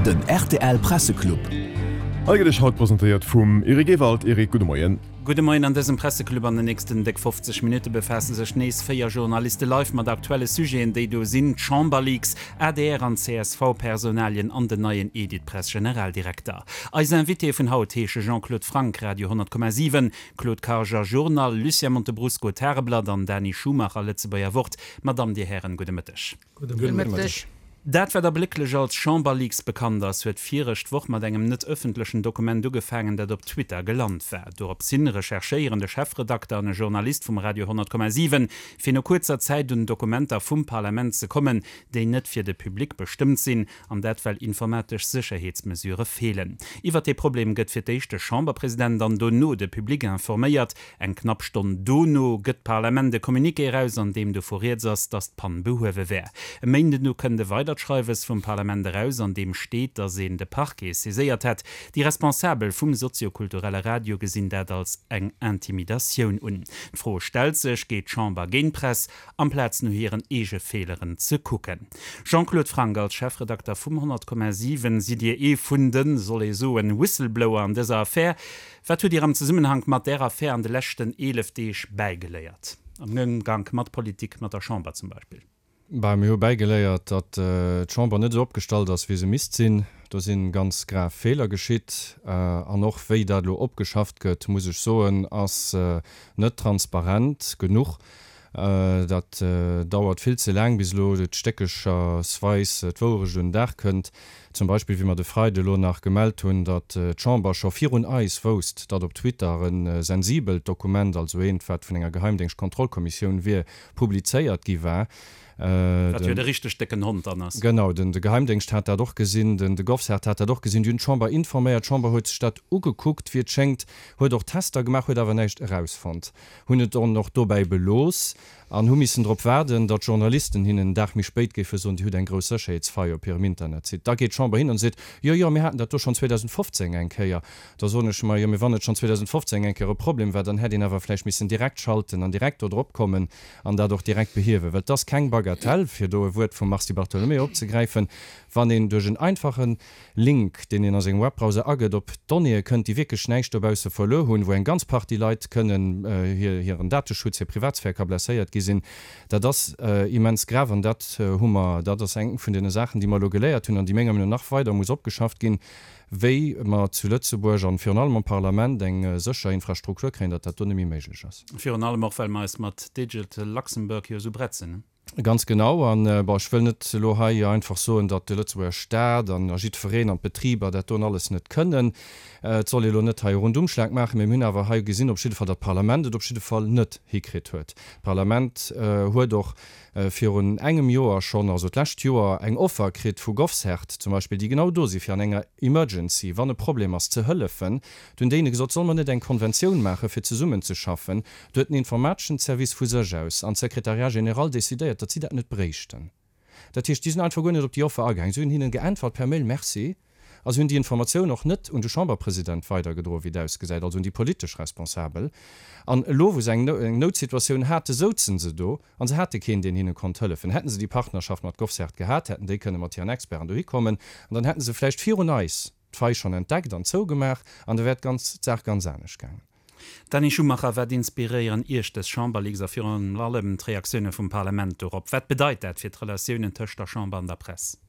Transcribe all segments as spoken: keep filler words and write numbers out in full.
Den rtl Presseclub. Hei gëtt iech haut presentéiert vum Eric Ewald. Eric, gudde Moien. Gudde Moien. An dësem Presseclub an den nächsten déck fofzeg Minutte befaasse sech nees véier Journaliste live mat aktuelle Sujeten, déi do sinn, d'Chamberleaks, adr an C S V-Personalien an den neien Editpress-Generaldirekter. Eis Invitéë vun haut heesche Jean-Claude Franck, Radio honnert Komma siwen, Claude Karger, Journal, Lucien Montebrusco, Tageblatt, an Dani Schumacher, Lëtzebuerger Wort. Madame, Dir Hären, gudde Mëtteg. Gudde Mëtteg. Dat, wat erblécklech als Chamberleaks bekannt ass, huet virecht Woch mat engem net ëffentlechen Dokument ugefaangen, dat op Twitter gelant war. Dorops hin recherchéieren de Chefredakter an e Journalist vum Radio honnert Komma siwen, fir no kuerzer Zäit un Dokumenter vum Parlament ze kommen, déi net fir de Public bestëmmt sinn, an dat well informatesch Sécherheetsmesurë feelen. Iwwert dee Problem gëtt fir d'éischt de Chamberpresident an dono de Public informéiert. Eng knapp Stonn dono gëtt d'Parlament e Communiqué eraus, an deem dovu rieds ass, datt d'Pann behuewe wär. E Méinden du kënnt e weidert Schreiwes vum Parlament eraus, an deem steet, datt een de Parquet saiséiert hätt. Déi Responsabel vum soziokulturelle Radio gesinn dat als eng Intimidatioun un. D'Fro stellt sech, Geet d'Chamber géint d'Press, amplaz no hiren eege Feeleren ze kucken? Jean-Claude Franck, als Chefredakter vum honnert Komma siwen sidd Dir ee vun den, soll ee soen, Whistleblower an dëser Affär. Wat hutt Dir am Zesummenhank mat där Affär an de leschten eelef Deeg bäigeléiert, am Ëmgank mat Politik, mat der Chamber zum Beispill? Bah, mir hu bäigeléiert, datt d'Chamber net esou opgestallt ass, wéi se misst sinn. Do si ganz grav Feeler geschitt. An och wéi dat elo opgeschafft gëtt, muss ech soen, ass net transparent genuch. Dat dauert vill ze laang, bis elo et stéckechersweis d'Wouerecht un den Dag kënnt. Zum Beispill wéi mer de Freide elo nach gemellt hunn, datt d'Chamber scho virun eis wousst, datt op Twitter e sensibelt Dokument, also eent, wat vun enger Geheimdéngschtkontrollkommissioun wier, publizéiert gi war. Wat jo de richteg décken Hond dann ass. Genau, de Geheimdéngscht hat dat och gesinn, de GovCert hat dat och gesinn. Déi hunn d'Chamber informéiert. D'Chamber huet sech dat ugekuckt, wéi et schéngt, huet och Tester gemaach, huet awer näischt erausfonnt, hunn et dann och dobäi belooss an hu missen drop waarden, datt d'Journalisten hinnen en Dag méi spéit géife soen, Dir hutt eng grouss Sécherheetsfaille op hirem Internetsite. Da geet d'Chamber hin an seet, Jo, jo, mir haten dat do schonn zweedausendfofzéng eng Kéier. Da soen ech mer, Jo, mee wann et schonn zweedausendfofzéng eng Kéier e Problem war, dann hätt een awer vläicht missen direkt schalten an direkt do drop kommen an dat och direkt behiewen. Well et ass keng Bagatelle, fir do e Wuert vum Mars Di Bartolomeo opzegräifen, wann een duerch en einfache Link, deen een a sengem Webbrowser agëtt, op Donnéeë kënnt, déi wierklech näischt dobausse verluer hunn, wou eng ganz Partie Leit kënnen hiren Dateschutz, hir Privatsphär ka blesséiert gi sinn, dat ass immens grav. An dat hu mer, dat ass eng vun deene Saachen, déi mer elo geléiert hunn an déi menger Meenung no nach weider muss opgeschafft ginn, wéi mer zu Lëtzebuerg an virun allem am Parlament eng sécher Infrastruktur kréien, datt dat do net méi méiglech ass. Virun allem och, well mer eis mat Digital Luxembourg jo esou bretzen. Ganz genau. An, bon, ech wëll net elo hei einfach soen, datt de Lëtzebuerger Staat an a jiddwereen an d'Betriber dat doen alles net kënnen. Et soll ee elo net hei e Rundumschlag maachen, mee mir hunn awer hei gesinn op jidde Fall, datt d'Parlament et op jidde Fall net hikritt huet. D'Parlament huet och virun engem Joer schonn, also d'lescht Joer, eng Offer kritt vu GovCert zum Beispill, déi genau do si fir an enger Emergency, wann e Problem ass, ze hëllefen. Do hunn déi hinne gesot, Solle mer net eng Konventioun maachen, fir zesummenzeschaffen? Do huet den informateschen Service vu sech aus an d'Secrétariat général decidéiert, datt si dat net bréichten. Dat heescht, déi sinn einfach guer net op déi Offer agaangen. Si hunn hinnen geäntwert per Mail, Merci, a si hunn déi Informatioun och net un de Chamberpresident weidergedroen, wéi et ausgesäit, also un déi politesch Responsabel. An elo, wou se eng Noutsituatioun haten, souzen se do a se hate keen, deen hinne konnt hëllefen. Hätten se déi Partnerschaft mat GovCert gehat, hätten déi kënne mat hiren Experten dohi kommen an dann hätten se vläicht virun eis d'Faille schonn entdeckt an zougemaach an da wär d'Saach ganz anescht gaangen. Dany Schumacher, Wat inspiréieren Iech dës Chamberleaks a virun allem d'Reaktioune vum Parlament dorop? Wat bedeit dat fir d'Relatiounen tëscht der Chamber an der Press?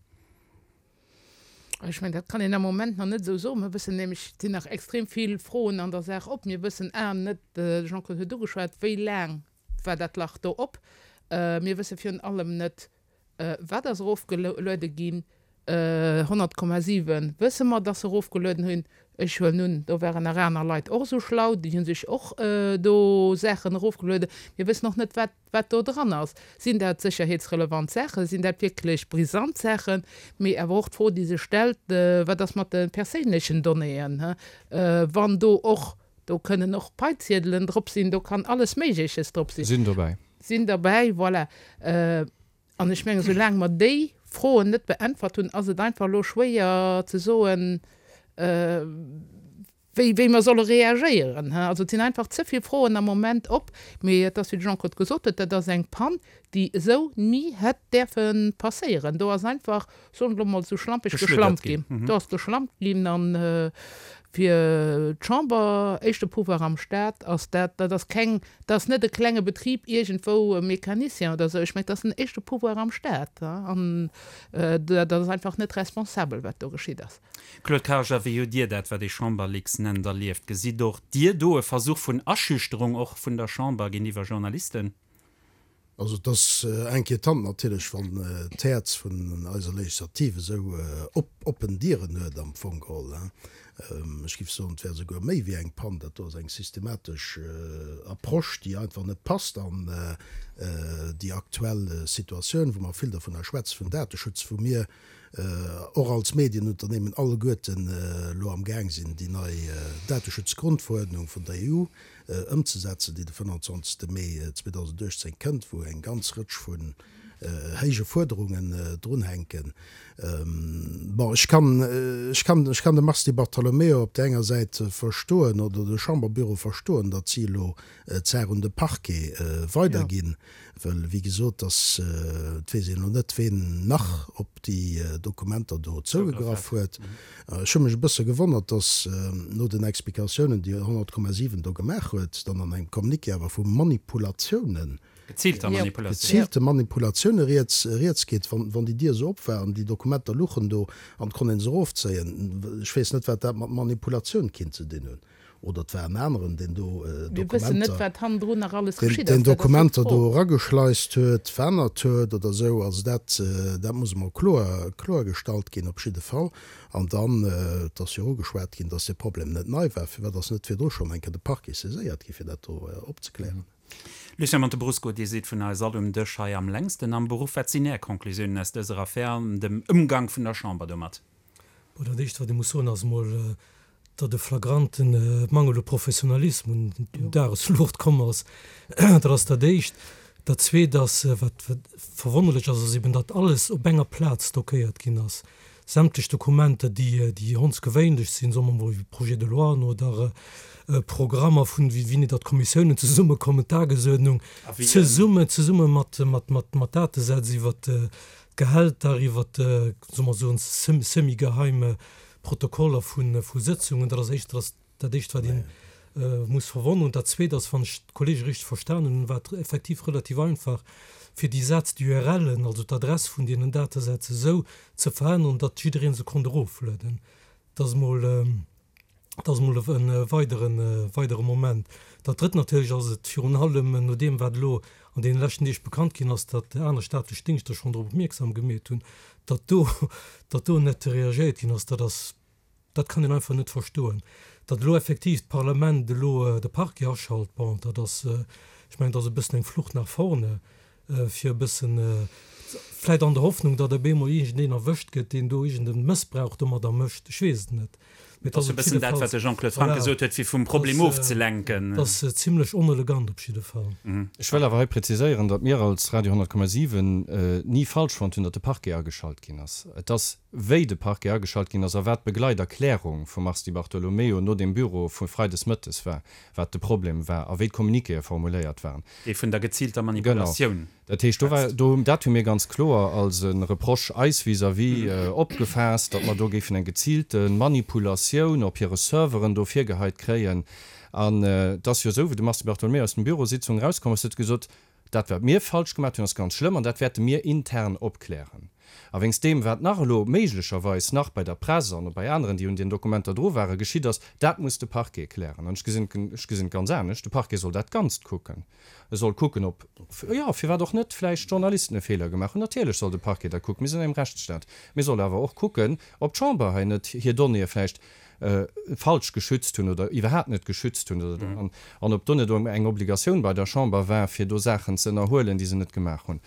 Ech mengen, dat kann een am Moment nach net esou soen. Mir wëssen nämlech, et sinn nach extrem vill Froen an der Saach op. Mir wëssen a net, de Jean-Claude huet ugeschwat, wéi laang war dat Lach do op. Mir wësse virun allem net, wat ass erofgeluede ginn. Honnert Komma siwen wësse mer, dass se erofgelueden hunn. Ech huelen un, do waren nach aner Leit och esou schlau, déi hu sech och do Saachen erofgelueden. Mir wëssen och net, wat, wat do dran ass. Sinn dat sécherheetsrelevant Saachen? Sinn dat wierklech brisant Saachen? Mee awer och d'Fro, déi sech stellt, Wat ass mat de perséinlechen Donnéeën, wann do och, do kënnen och Paiziedelen drop sinn, do kann alles Méigleches drop sinn. Sinn dobäi. Sinn derbäi, voilà. An ech mengen, soulaang mer déi Froen net beäntwert hunn, ass et einfach elo schwéier ze soen, wéi, wéi mer solle reagéieren. Also et sinn einfach ze vill Froen am Moment op. Mee et ass, wéi de Jean-Claude gesot huet, dat ass eng Pann, déi esou ni hätt däerfe passéieren. Do ass einfach, soen ech elo mol esou schlampeg, geschlampt ginn. Do ass geschlampt ginn an fir d'Chamber, éischte Pouvoir am Staat, ass dat, dat ass keng, dat ass net e klenge Betrib iergendwou, e Mecanicien oder esou, ech mengen, dat ass den éischte Pouvoir am Staat an dat ass einfach net responsabel, wat do geschitt ass. Claude Karger, wéi hutt Dir dat, wat ee Chamberleaks nennt, erlieft? Gesitt och Dir do e Versuch vun Aschüchterung och vun der Chamber géintiwwer Journalisten? Also et ass inquietant natierlech, wann d'Häerz vun eiser Legislativ esou oppen Dieren huet am Fong geholl. Ech géif soen, et wär esouguer méi wéi eng Pann. Dat do ass eng systematesch Approche, déi einfach net passt an déi aktuell Situatioun, wou mer vill dovunner schwätze vun Dateschutz, wou mir och als Medienunternehmen alleguerten elo am Gaang sinn, déi nei Dateschutzgrundverordnung vun der E U ëmzesetzen, déi de fënnanzwanzegste Mee zweedausenduechtzéng kënnt, wou eng ganz Rëtsch vun héije Fuerderungen drunhänken. Bon, ech kann, ech kann, ech kann de Mars Di Bartolomeo op där enger Säit verstoen oder de Chamberbüro verstoen, datt si elo d'Saach un de Parquet weiderginn, well, wéi gesot, dass, et weess een elo net, ween nach op déi Dokumenter do zougegraff huet. Ech hu mech e bësse gewonnert, dass no den Explikatiounen, déi honnert Komma siwen do gemaach huet, dann an engem Communiqué awer vu Manipulatiounen, Geziilter Manipulatioun. geziilte Manipulatioune rieds, rieds geet, wann, wann déi Dier esou op war an déi Dokumenter luchen do an et konnt ee se erofzéien. Ech weess net, wat dat mat Manipulatioun kinnt ze dinn hunn. Oder et war en aneren, deen do Mir wëssen net, Dokumenter, wat hannendrun nach alles deen, geschitt deen ass. Dat ass jo Dokumenter d'Fro. do erageschleist huet, verännert huet oder esou. Also dat, dat muss emol kloer, kloergestallt ginn op jidde Fall. An dann, et ass jo ugeschwat ginn, dass dee Problem net nei war. Firwat ass net virdru schonn eng Kéier de Parquet saiséiert gi fir dat do opzeklären? Lucien Montebrusco, Dir sidd vun eis all um Dësch hei am längsten am Beruff. Wat sinn Är Conclusiounen aus dëser Affär an dem Ëmgang vun der Chamber domat? Bon, dat Éischt, wat ee muss soen, ass emol, datt e flagrante Mangel u Professionalismus un d'Dagesluucht komm ass. Dat ass dat Éischt. Dat Zweet ass, wat verwonnerlech ass, ass eben, datt alles op enger Plaz stockéiert ginn ass. Sämtlech Dokumenter, déi, déi hondsgewéinlech sinn, soe mer emol wéi Projets de loien oder Programmer vun, wéi datt d'Kommissiounen zesummekommen, d'Tagesuerdnung, zesumme, zesumme mat, mat, mat, mat Datesätz iwwert d'Gehälter, iwwert, soe mer soen, semi-geheim Protokoller vu, vu Sëtzungen. Dat ass éischt, dat ass dat Éischt, wat een muss verwonneren. Und dat Zweet ass, wann ech d'Kollege richteg verstanen hunn, war et effektiv relativ einfach, fir déi Sätz, déi U R Len, also d'Adress vun deenen Datesätz esou ze veränneren, datt jidderee se konnt eroflueden. Dat ass emol, dat ass emol e weideren, weidere Moment. Dat Drëtt natierlech ass et virun allem, no deem wat elo an deene leschten Deeg bekannt ginn ass, datt aner staatlech Dingschter schonn drop opmierksam gemeet hunn, datt do, datt do net reagéiert ginn ass, dat ass, dat kann een einfach net verstoen. Datt elo effektiv d'Parlament elo de Parquet aschalt, bon, dat ass, ech mengen, dat ass e bëssen eng Flucht nach vorne, fir e bëssen, vläicht an der Hoffnung, datt op eemol iergendeen erwëscht gëtt, deen do iergend e Mëssbrauch domadder mécht, ech weess et net. Mee Dat ass e op bëssen jidde dat, Fall, wat de Jean-Claude Franck voilà, gesot huet, fir vum Problem dat ass, ofzelenken. dat ass zimlech onelegant op jidde Fall. Ech wëll awer hei präziséieren, datt mir als Radio honnert Komma siwen ni falsch fonnt hunn, datt de Parquet ageschalt ginn ass. Et ass, wéi de Parquet ageschalt ginn ass a wat d'Begleiterklärung vum Mars Di Bartolomeo no deem Büro vu freides mëttes war, wat de Problem war a wéi d'Communiquéë formuléiert waren. Dee vun der geziilter Genau. Manipulatioun Dat heescht, do war, schwätzt. do, dat hu mir ganz kloer als e Reproche eis vis-à-vis opgefaasst, datt mer do géifen eng geziilte Manipulatioun op hire Serveren do virgeheit kréien. An et ass jo esou, wéi de Mars Di Bartolomeo aus dem Bürositzung erauskomm ass, huet gesot, Dat, wat mir falsch gemaach hunn, ass ganz schlëmm an dat wäerte mir intern opklären. A wéinst deem, wat nach elo méiglecherweis nach bei der Press an bei aneren, déi un den Dokumenter dru waren, geschitt ass, dat muss de Parquet klären. An ech gesinn, ech gesinn et ganz anescht, De Parquet soll dat Ganzt kucken. E soll kucken, ob, jo, firwat och net, vläicht Journalisten e Feeler gemaach hunn. Natierlech soll de Parquet dat kucken, mir sinn an engem Rechtsstaat. Mee soll awer och kucken, ob d'Chamber hei net hir Donnéeë vläicht falsch geschützt hunn oder iwwerhaapt net geschützt hunn oder an, an ob do net eng Obligatioun bei der Chamber war, fir do Saachen ze ënnerhuelen, déi se net gemaach hunn.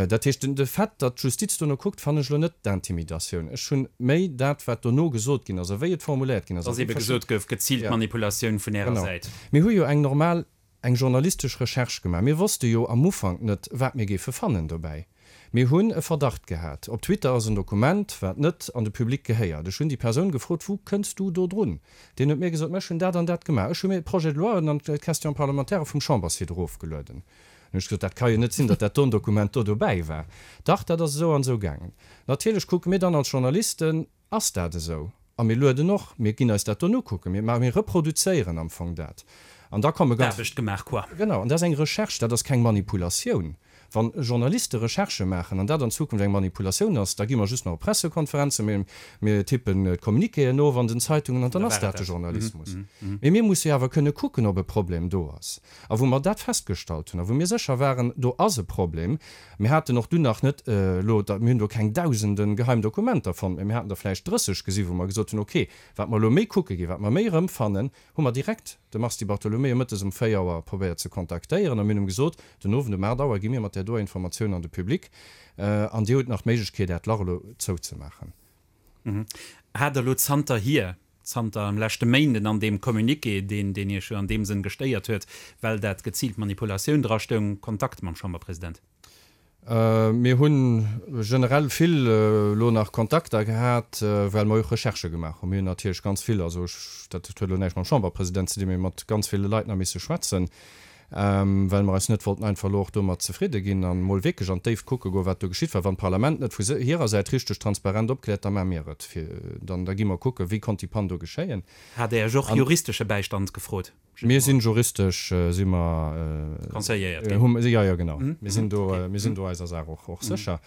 Dat heescht, den, de Fait, datt d'Justiz dono kuckt, fannen ech elo net d'Intimidatioun. Ech hunn méi dat, wat dono gesot ginn ass a wéi et formuléiert ginn ass. Dass ebe gesot gouf, geziilt Manipulatioun vun Ärer Genau. Säit. Mir hu jo eng normal, eng journalistesch Recherche gemaach. Mir wosste jo am Ufank net, wat mir géife fannen dobäi. Mir hunn e Verdacht gehat. Op Twitter ass en Dokument, wat net an de Public gehéiert. Ech hunn déi Persoun gefrot, Wou kënns du do drun? Deen huet mir gesot, Ma ech hunn dat an dat gemaach. Ech hu mir d'Projet-de-loien an d'Questions parlementaires vum Chamberssite erofgelueden. Dann hunn ech gesot, Dat ka jo net sinn, datt dat don Dokument do dobäi war. Dach, dat ass esou an esou gaangen. Natierlech kucke mir dann als Journalisten, Ass dat esou? A mir lueden och, mir ginn eis dat don ukucken, mir maachen, mir reproduzéieren am Fong dat. An da komme ganz. Aarbecht gemaach, quoi. Genau, an dat ass eng Recherche, dat ass keng Manipulatioun. Wa Journaliste Recherchë maachen an dat an Zukunft eng Manipulatioun ass, da gi mer just nach op Pressekonferenzen, mir, mir tippen d'Communiquéen of an den Zeitungen an dann ass dat de Journalismus. Mee mir musse jo awer kënne kucken, ob e Problem do ass. A wou mer dat festgestallt hunn a wou mir sécher waren, do ass e Problem, mir haten och dunn nach net elo, mir hunn do keng Dausende geheim Dokumenter fonnt, mee mir haten der vläicht drësseg gesi wou mer gesot hunn, okay, wat mer elo méi kucke ginn, wat mer méi erëmfannen, hu mer direkt de Mars Di Bartolomeo mëttes um véier Auer probéiert ze kontaktéieren a mir hunn em gesot, den Owend um aacht Auer gi mir mat där doer Informatioun an de Public an Dir hutt nach d'Méiglechkeet, Äert Lach elo zouzemaachen. Hat Der elo zanterhier, zanter dem leschte Méinden an deem Communiqué, deen, deen Iech jo an deem Sënn gestéiert huet, well dat geziilt Manipulatioun drastoung, Kontakt mam Chamberpresident? Mir hu generell vill elo nach Kontakter gehat, well mer och Recherchë gemaach hunn. Mir hunn natierlech ganz vill, also ech, dat huet elo näischt mam Chamberpresident ze dinn, mee mat ganz ville Leit nach misse schwätzen, well mer eis net wollten einfach elo och domat zefridde ginn an emol wierklech an d'Déift kucke goen, wat do geschitt war. Wann d'Parlament net vu hirer Säit richteg transparent opkläert, da maache mir et. Fir dann, da gi mer kucken, wéi konnt déi Pann do geschéien. Hat Der Iech och juristesche Bäistand gefrot? Mir sinn juristesch si mer Conseilléiert ginn. Hu jo, jo genau. Mir sinn do, mir sinn do eiser Saach och, och sécher.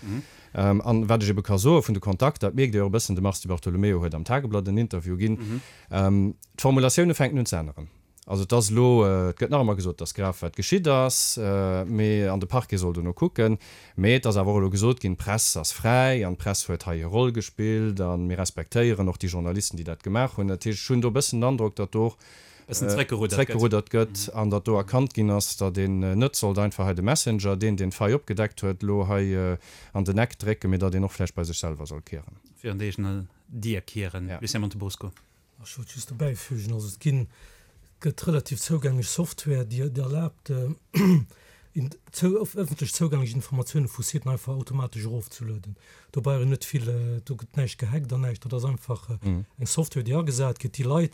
An wat ech ebe ka soe vun de Kontakter, dat mierkt Dir och e bëssen, de Mars Di Bartolomeo huet am Tageblatt en Interview ginn, d'Formulatioune fänken un ze änneren. Also et ass elo, et gëtt nach ëmmer gesot, et ass grav wat geschitt ass, mee an de Parquet soll dono kucken. Mee et ass awer och elo gesot ginn, d'Press ass fräi an d'Press huet hei hir Roll gespillt a mir respektéieren och déi Journalisten, déi dat gemaach hunn. Dat heescht, ech hunn do e bëssen den Androck, datt do och zréckgeruddert gëtt an datt do erkannt ginn ass, datt een net sollt einfach hei de Messenger, deen deen d'Faille opgedeckt huet, elo hei an den Eck drécken, mee datt een och vläicht bei sech selwer soll kieren. Virun der eegener Dier kieren. Lucien Montebosco. Ech wollt just dobäifügen, also et ginn, gëtt relativ zougänglech Software, déi et erlaabt, ëffentlech zougänglech Informatioune vu Siten einfach automatesch erofzelueden. Do brauch een net vill, do gëtt näischt gehackt an näischt. Dat ass einfach eng Software, déi agesat gëtt, déi Leit,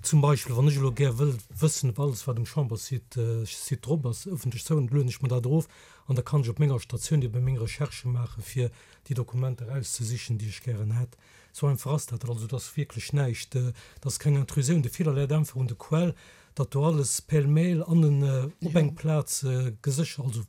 zum Beispill wann ech elo gär wëll wëssen, ob alles wat um Chamberssite Site drop ass, ëffentlech zougänglech, lueden ech mer dat erof an da kann ech op menger Statioun ebe meng Recherchë maache fir déi Dokumenter erauszesichen, déi ech gären hätt. Sou einfach ass dat. Also et ass wierklech näischt, et ass keng Intrusioun. De Feeler läit einfach un der Quell, datt do alles pêle-mêle an en op eng Plaz geséchert, also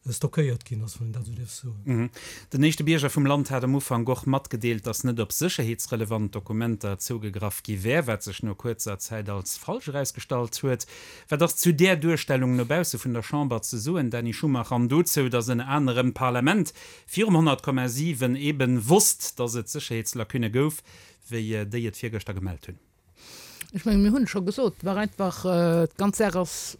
stockéiert ginn ass, wann een dat esou dierf soen. Den éischte Bierger vum Land hat am Ufank och matgedeelt, datt net op sécherheetsrelevant Dokumenter zougegraff gi wär, wat sech no kuerzer Zäit als falsch erausgestallt huet. Wat ass zu där Duerstellung no bausse vun der Chamber ze soen, Dany Schumacher, an dozou, datt ënner anerem d'Parlament virum honnert Komma siwen eben wosst, datt et Sécherheetslacunne gouf, wéi déi et virgëschter gemellt hunn? Ech mengen, mir hunn et scho gesot, et war einfach, d'ganz Saach ass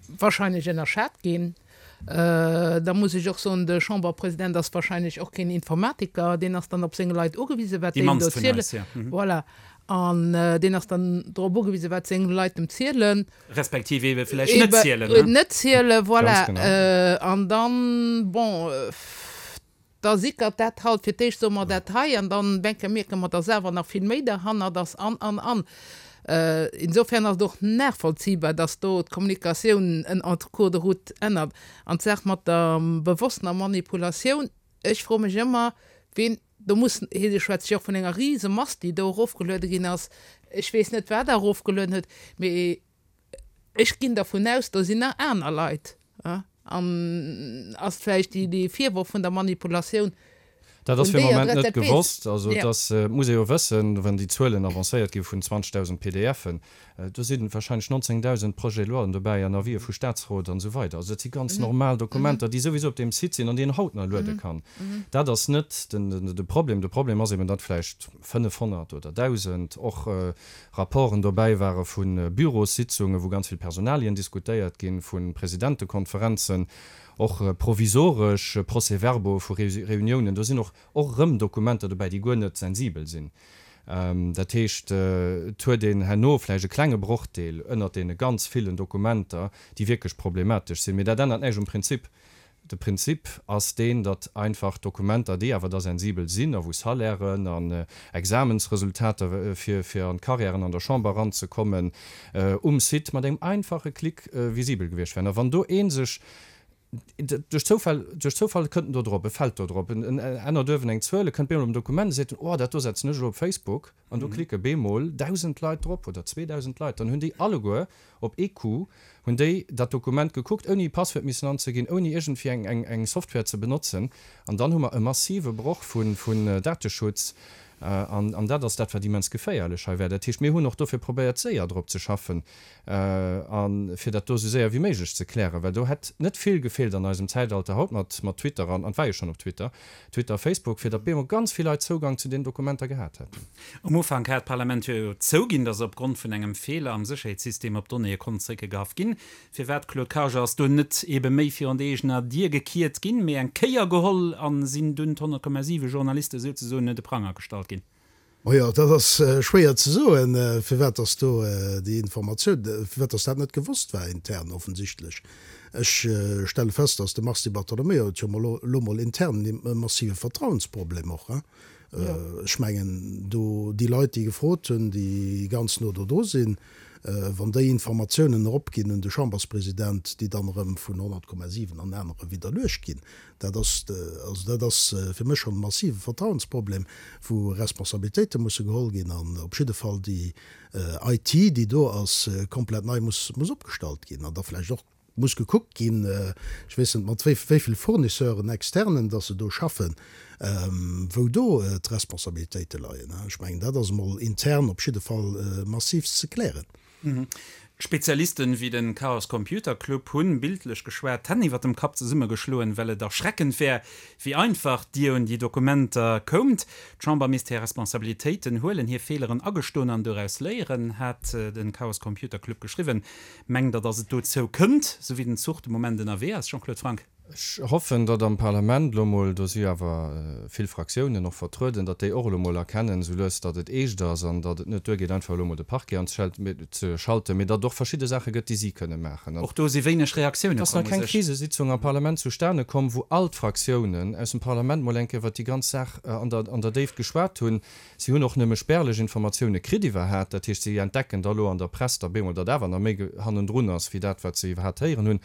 wahrscheinlech ënnerschat ginn. Da muss ech och soen, de Chamberpresident ass wahrscheinlech och keen Informatiker, deen ass dann op seng Leit ugewisen, wat déi em do zielen. Voilà. An deen ass dann drop ugewisen, wat seng Leit em zielen. Respektiv eebe vläicht net zielen. Eben net zielen, voilà. An dann, bon, da sickert dat halt, fir d'éischt soe mer dat hei an dann denke mierke mer, dass awer nach vill méi derhannert ass an, an, an. Insofern ass et och nachvollziehbar, dass do d'Kommunikatioun en en cours de route ännert. An d'Saach mat der bewosstener Manipulatioun, ech froe mech ëmmer, wien do muss, hie schwätzt jo och vun enger Risemass, déi do erofgeluede ginn ass, ech weess net, wat Der erofgelueden hutt, mee ech ginn dervun aus, do sinn nach aner Leit. An ass vläicht dee Virworf vun der Manipulatioun Dat ass fir de Moment net gewosst. Also et ass, et muss ee jo wëssen, wann déi Zuelen avancéiert gi vun zwanzegdausend PDFen, do si warscheinlech nonzéngdausend Projets-de-loien dobäi an Avisë vu Staatsrot an esou weider. Also dat si ganz normal Dokumenter, déi souwisou op deem Site sinn an déi een haut nach luede kann. Dat ass net de Problem. De Problem ass eben, datt vläicht fënnefhonnert oder dausend och Rapporten dobäi ware vu Bürossitzungen, wou ganz vill Personalien diskutéiert ginn, vu Presidentekonferenzen, och provisoresch Procès-verbaux vu Reuniounen. Do sinn och och erëm Dokumenter dobäi, déi guer net sensibel sinn. Dat heescht, et huet een herno vläicht e klenge Brochdeel ënnert deene ganz villen Dokumenter, déi wierklech problematesch sinn. Mee dat ännert näischt um Prinzip. De Prinzip ass deen, datt einfach Dokumenter, déi awer da sensibel sinn a wou Salairen an Examensresultater fir fir an d'Carrièren an der Chamber eranzekommen, um Site mat engem einfache Klick visibel gewiescht wären. A wann do ee sech duerch Zoufall, duerch Zoufall kënnt en do drop, e fält do drop, en ännert uewen eng Zuel, e kënnt bemol op en Dokument, e seet en, oh dat do setzen ech elo op Facebook, an do klicke bemol dausend Leit drop oder zweedausend Leit, dann hunn déi alleguer op ee Coup hunn déi dat Dokument gekuckt, ouni e Passwuert missen anzeginn, ouni iergendwéi eng, eng, eng Software ze benotzen, an dann hu mer e massive Broch vu, vun Dateschutz, an, an dat ass dat wat immens geféierlech hei wär. Dat heescht, mir hunn och dofir probéiert séier drop ze schaffen a fir dat do esou séier wéi méiglech ze klären, well do hätt net vill gefeelt an eisem Zäitalter haut mat, mat Twitter an, an et war jo schonn op Twitter, Twitter, Facebook, fir datt bemol ganz vill Leit Zougang zu deenen Dokumenter gehat hätten. Um Ufank hat d'Parlament jo zouginn, datt opgrond vun engem Feeler am Sécherheetssystem op d'Donnéeë konnt zréckgegraff ginn. Firwat, Claude Karger, ass do net ebe méi virun der eegener Dier gekiert ginn, mee eng Kéier geholl a sinn dunn d'honnert Komma siwe Journaliste souzesoen un de Pranger gestallt ginn? Majo, dat ass schwéier ze soen, firwat dass do déi Informatioun, firwat dass dat net gewosst war intern offensichtlech. Ech stelle fest, dass de Mars Di Bartolomeo huet jo mol elo mol intern e massive Vertrauensproblem och. Ech mengen, do déi Leit, déi gefrot hunn, déi ganz no do dru sinn, wann déi Informatiounen eropginn un de Chamberspresident, déi dann erëm vun honnert Komma siwen an anere widderluecht ginn, dat ass, also dat ass fir mech schonn e massive Vertrauensproblem, wou Responsabilitéite musse geholl ginn an op jidde Fall déi I T, déi do ass, komplett nei muss muss opgestallt ginn an da vläicht och muss gekuckt ginn, ech weess net mat wéi vill Fournisseuren externen dass se do schaffen, wou do d'Responsabilitéite leien. Ech mengen, dat ass emol intern op jidde Fall massivst ze klären. Spezialisten wéi den Chaos Computer Club hunn, bildlech geschwat, d'Hänn iwwer dem Kapp zesummegeschloen, well et erschreckend wär, wéi einfach Dir un déi Dokumenter koumt. D'Chamber misst hir Responsabilitéiten huelen, hir Feeleren agestoen an doraus léieren, hat den Chaos Computer Club geschriwwen. Mengt Der, datt et dozou kënnt, sou wéi den Zuch de Moment ënnerwee ass, Jean-Claude Franck? Ech hoffen, datt am Parlament elo mol, do si jo awer vill Fraktiounen och vertrueden, datt déi och elo mol erkennen esou lues, datt et eescht ass an datt et net duergeet, einfach elo mol de Parquet anzeschalten, mee datt et och verschidde Saache gëtt, déi si kënne maachen. Och do si wéineg Reaktioune Et ass nach komm u keng sech. Krisesitzung am Parlament zustane komm, wou all d'Fraktiounen aus dem Parlament mol eng Kéier iwwert déi ganz Saach an der an der Déift geschwat hunn. Si hunn och nëmme spärlech Informatioune kritt iwwerhat. Dat heescht, si entdecken da elo an der Press da bemol, datt awer nach méi hannendrun ass wéi dat, wat se iwwerhat héieren hunn.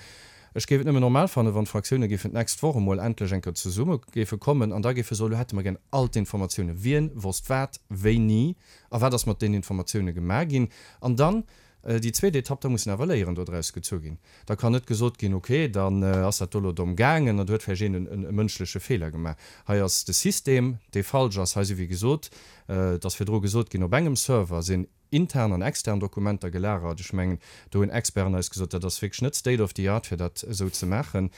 Ech géif et nëmmen normal fannen, wann d'Fraktioune géifen d'nächst Woch emol endlech eng Kéier zesumme géife kommen an da géife soen, elo hätte mer gär all d'Informatiounen, wien wosst wat, wéini a wat ass mat deenen Informatioune gemaach ginn. An dann déi zweet Etapp, da mussen awer Léieren dodraus gezu ginn. Da kann net gesot ginn, okay, dann ass dat do elo domm gaangen an do huet vläicht een e mënschleche Feeler gemaach. Hei ass de System, dee falsch ass. Hei si wéi gesot, et ass virdru gesot ginn, op engem Server sinn intern an extern Dokumenter gelagert. Ech mengen, do hunn Experten eis gesot, dat ass wierklech net state of the art, fir dat esou ze maachen.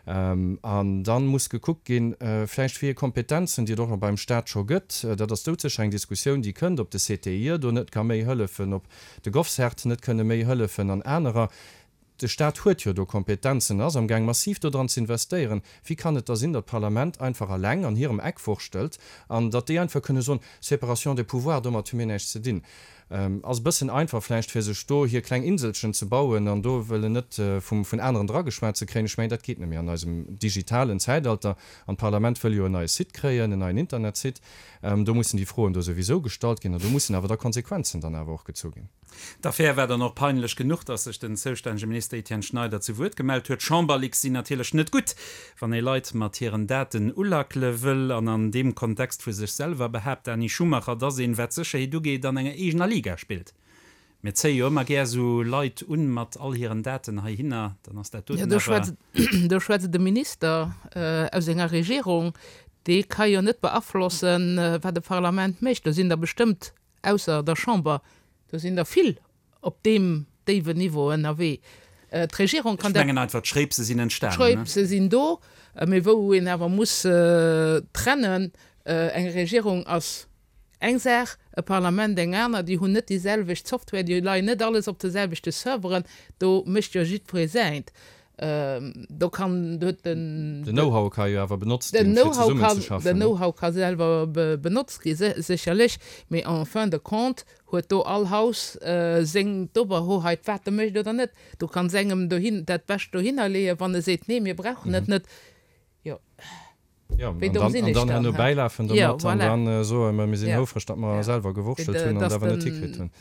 An da muss gekuckt ginn, vläicht wéi ee Kompetenzen, déi et och beim Stat scho gëtt, dat ass doudsécher eng Diskussioun, déi kënnt, ob de C T I E do net ka méi hëllefen, ob de GovCert net kënne méi hëllefen an anerer. De Stat huet jo do Kompetenzen, ass amgaang massiv do dran ze investéieren. Wéi kann et da sinn, datt d'Parlament einfach alleng an hirem Eck wurschtelt an datt déi einfach kënne soen, Séparation des pouvoirs, domat hu mir näischt ze dinn? Ass e bëssen einfach vläicht, fir sech do hir kleng Inselchen ze bauen an do wëllen net vum vun aneren drageschwat ze kréien. Ech mengen, dat geet net méi an eisem digitalen Zäitalter. An d'Parlament wëll jo en neie Site kréien, en neien Internetsite. Do mussen déi Froen do souwisou gestallt ginn an do mussen awer da Konsequenzen dann awer och gezu ginn. D'Affär war dann och peinlech genuch, datt sech den zoustännege Minister Etienne Schneider zu Wuert gemellt huet. Chamberleaks sinn natierlech net gutt, wann ee Leit mat hiren Daten ulackele wëll. An an deem Kontext vu sech selwer behaapt d'Dani Schumacher, datt een, wat d'Sécherheet ugeet, an enger eegener Liga spillt. Mir zéie jo ëmmer gär esou Leit un mat all hiren Daten heihinner, dann ass dat Jo, doten do awer. schwätzt, do schwätzt de Minister aus enger Regierung, dee ka jo net beaflossen, wat e Parlament mécht. Do sinn der bestëmmt ausser der Chamber, do sinn der vill op deem déiwen Niveau ënnerwee. D'Regierung Ech kann dat. mengen einfach, d'Schréipse sinn entstanen, ne? D'Schréipse sinn do, mee wou een awer muss trennen, eng Regierung ass eng Saach, e Parlament eng aner. Déi hunn net déi selwecht Software, déi leien net alles op de selwechte Serveren, do mécht jo jiddweree säint. Do kann, do huet den. Den Know-how ka jo awer benotzt Den ginn, fir Know-how zesummen kann, ze den schaffen, ne? Know-how ka selwer benotzt gi sécherlech, mee en fin de compte huet do all Haus seng d'Oberhoheit, wat e mécht oder net. Du kanns engem dohin dat Bescht dohinner leeën, wann e seet, nee, mir brauchen et net. Jo. Ja, an dann, an dann herno bäilafen domat an dann soen, ma mir sinn houfreg, datt mer selwer gewurschtelt hunn an et awer net hikritt hunn.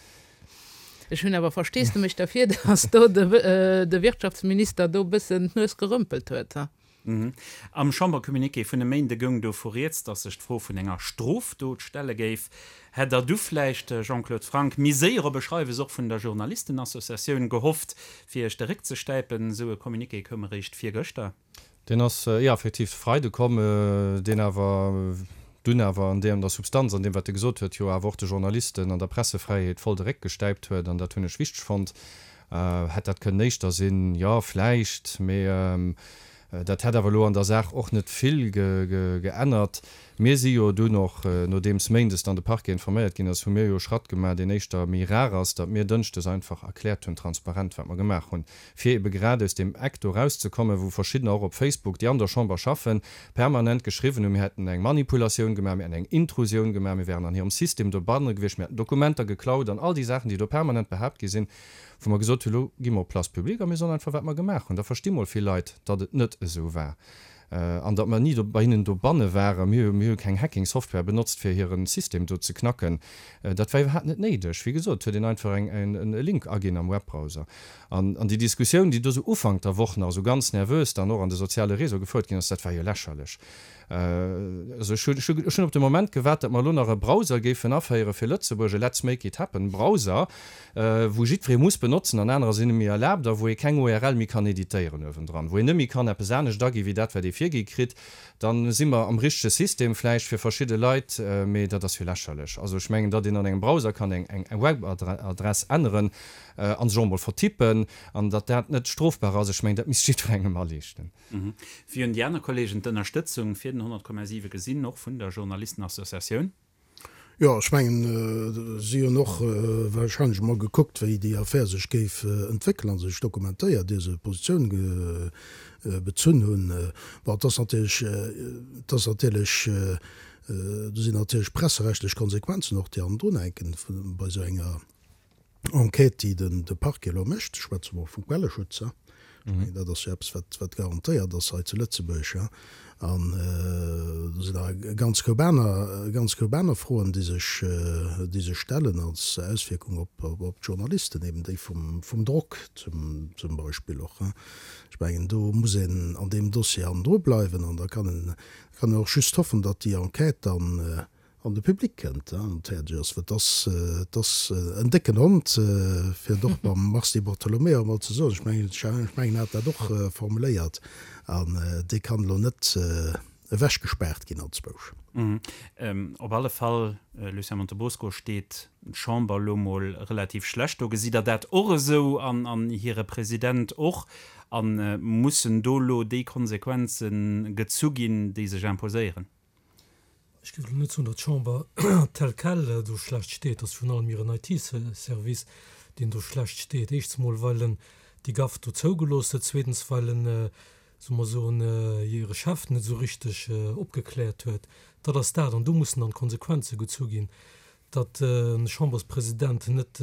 Ech hunn awer Versteesdemech derfir, datt do de Wirtschaftsminister do e bëssen d'Nues gerëmpelt huet. Am Chambercommuniqué vun e Méinde goung dovu rieds, datt sech d'Fro vun enger Strofdot stelle géif. Hätt Der du vläicht, Jean-Claude Franck, méi séier op e Schreiwes och vun der Journalistenassociatioun gehofft, fir Iech de Réck ze stäipen? Esou e Communiqué koum eréischt virgëschter. Deen ass, jo, effektiv de Freide komm, deen awer dunn awer an deem, der Substanz, an deem, wat e gesot huet, jo awer och de Journalisten an der Pressefräiheet voll de Réck gestäipt huet. An dat hunn ech wichteg fonnt. Hätt dat kënnen éischter sinn? Jo, vläicht, mee dat hätt awer elo an der Saach och net vill geännert. Mir si jo dunn och, nodeems méindes dann de Parquet informéiert ginn ass, hu mir jo e Schratt gemaach, deen éischter méi rar ass, datt mir dënschdes einfach erkläert hunn, transparent, wat mer gemaach hunn, fir ebe grad aus deem Eck do erauszekommen, wou verschiddener och op Facebook, déi an der Chamber schaffen, permanent geschriwwen hunn, mir hätten eng Manipulatioun gemaach, mir hätten eng Intrusioun gemaach, mir wären an hirem System dobanne gewiescht, mir hätten Dokumenter geklaut an all déi Saachen, déi do permanent behaapt gi sinn, wou mer gesot hunn, elo gi mer op Place publique a mir soen einfach, wat mer gemaach hunn. Da versti mol vill Leit, datt et net esou war an datt mer ni do bei hinnen dobanne waren. Mir hu mir hu keng Hacking-Software benotzt, fir hire System do ze knacken. Dat war iwwerhaapt net néideg. Wéi gesot, huet een einfach eng en e Link aginn am Webbrowser. An an déi Diskussioun, déi do esou Ufank der Woch nach esou ganz nervös dann och an de soziale Réseau gefouert ginn ass, dat war jo lächerlech. Also ech hunn, ech hunn op de Moment gewaart, datt mer elo nach e Browser géifen aféiere fir Lëtzebuerg, e Let's make it happen Browser, wou jiddweree muss benotzen an anerer sinn net méi erlaabt a wou ee keng U R L méi kann editéieren uewendran, wou een net méi kann eppes anescht agi wéi dat, wat ee virgi kritt. Dann si mer am richtege System vläicht fir verschidde Leit, mee dat ass jo lächerlech. Also ech mengen, datt een an engem Browser kann eng, eng Webadress änneren a sech och emol vertippen an datt dat net strofbar ass, ech mengen, dat misst jiddwerengem aliichten. Wéi hunn déi aner Kolleegen d'Ënnerstëtzung fir den honnert Komma siwe gesinn, och vun der Journalistenassociatioun? Jo, ech mengen, si hunn och wahrscheinlech emol gekuckt, wéi déi Affär sech géif entwéckelen a sech dokumentéiert, ier se Positioun bezunn hunn. Bon, et ass natierlech, et ass natierlech, do sinn natierlech presserechtlech Konsequenzen och, déi hannendrun hänken bei esou enger Enquête, déi den de Parquet elo mécht. Ech schwätze mol vum Quelleschutz, ech mengen, dat ass jo eppes, wat, wat garantéiert ass hei zu Lëtzebuerg. An do sinn nach e ganz Koup aner, e ganz Koup aner Froen, déi sech, déi sech stellen als Auswierkung op, op d'Journalisten, eben déi vum, vum Drock zum, zum Beispill och. Ech mengen, do muss een an deem Dossier hannendru bleiwen an da kann een, kann een och just hoffen, datt déi Enquête dann an de Public kënnt an fäerdeg ass, well et ass, et ass en décken Hond, fir et och mam Mars Di Bartolomeo emol ze soen. Ech mengen, ech mengen, en hat dat och formuléiert, an dee kann elo net ewechgespaart ginn anzwousch. Op alle Fall, Lucien Montebosco, steet d'Chamber elo mol relativ schlecht do. Gesitt Der dat och esou an hire President och? A mussen do elo déi Konsequenze gezu ginn, déi sech imposéieren? Ech géif elo net soen, datt d'Chamber tel quel do schlecht steet. Et ass virun allem hiren I T-Service, deen do schlecht steet. Éischts emol, well en déi Gaffe do zougelooss huet. Zweetens, well en, solle mer soen, hire Chef net esou richteg opgekläert huet. Dat ass dat. An do mussen dann d'Konsequenze gezu ginn, datt e Chamberspresident net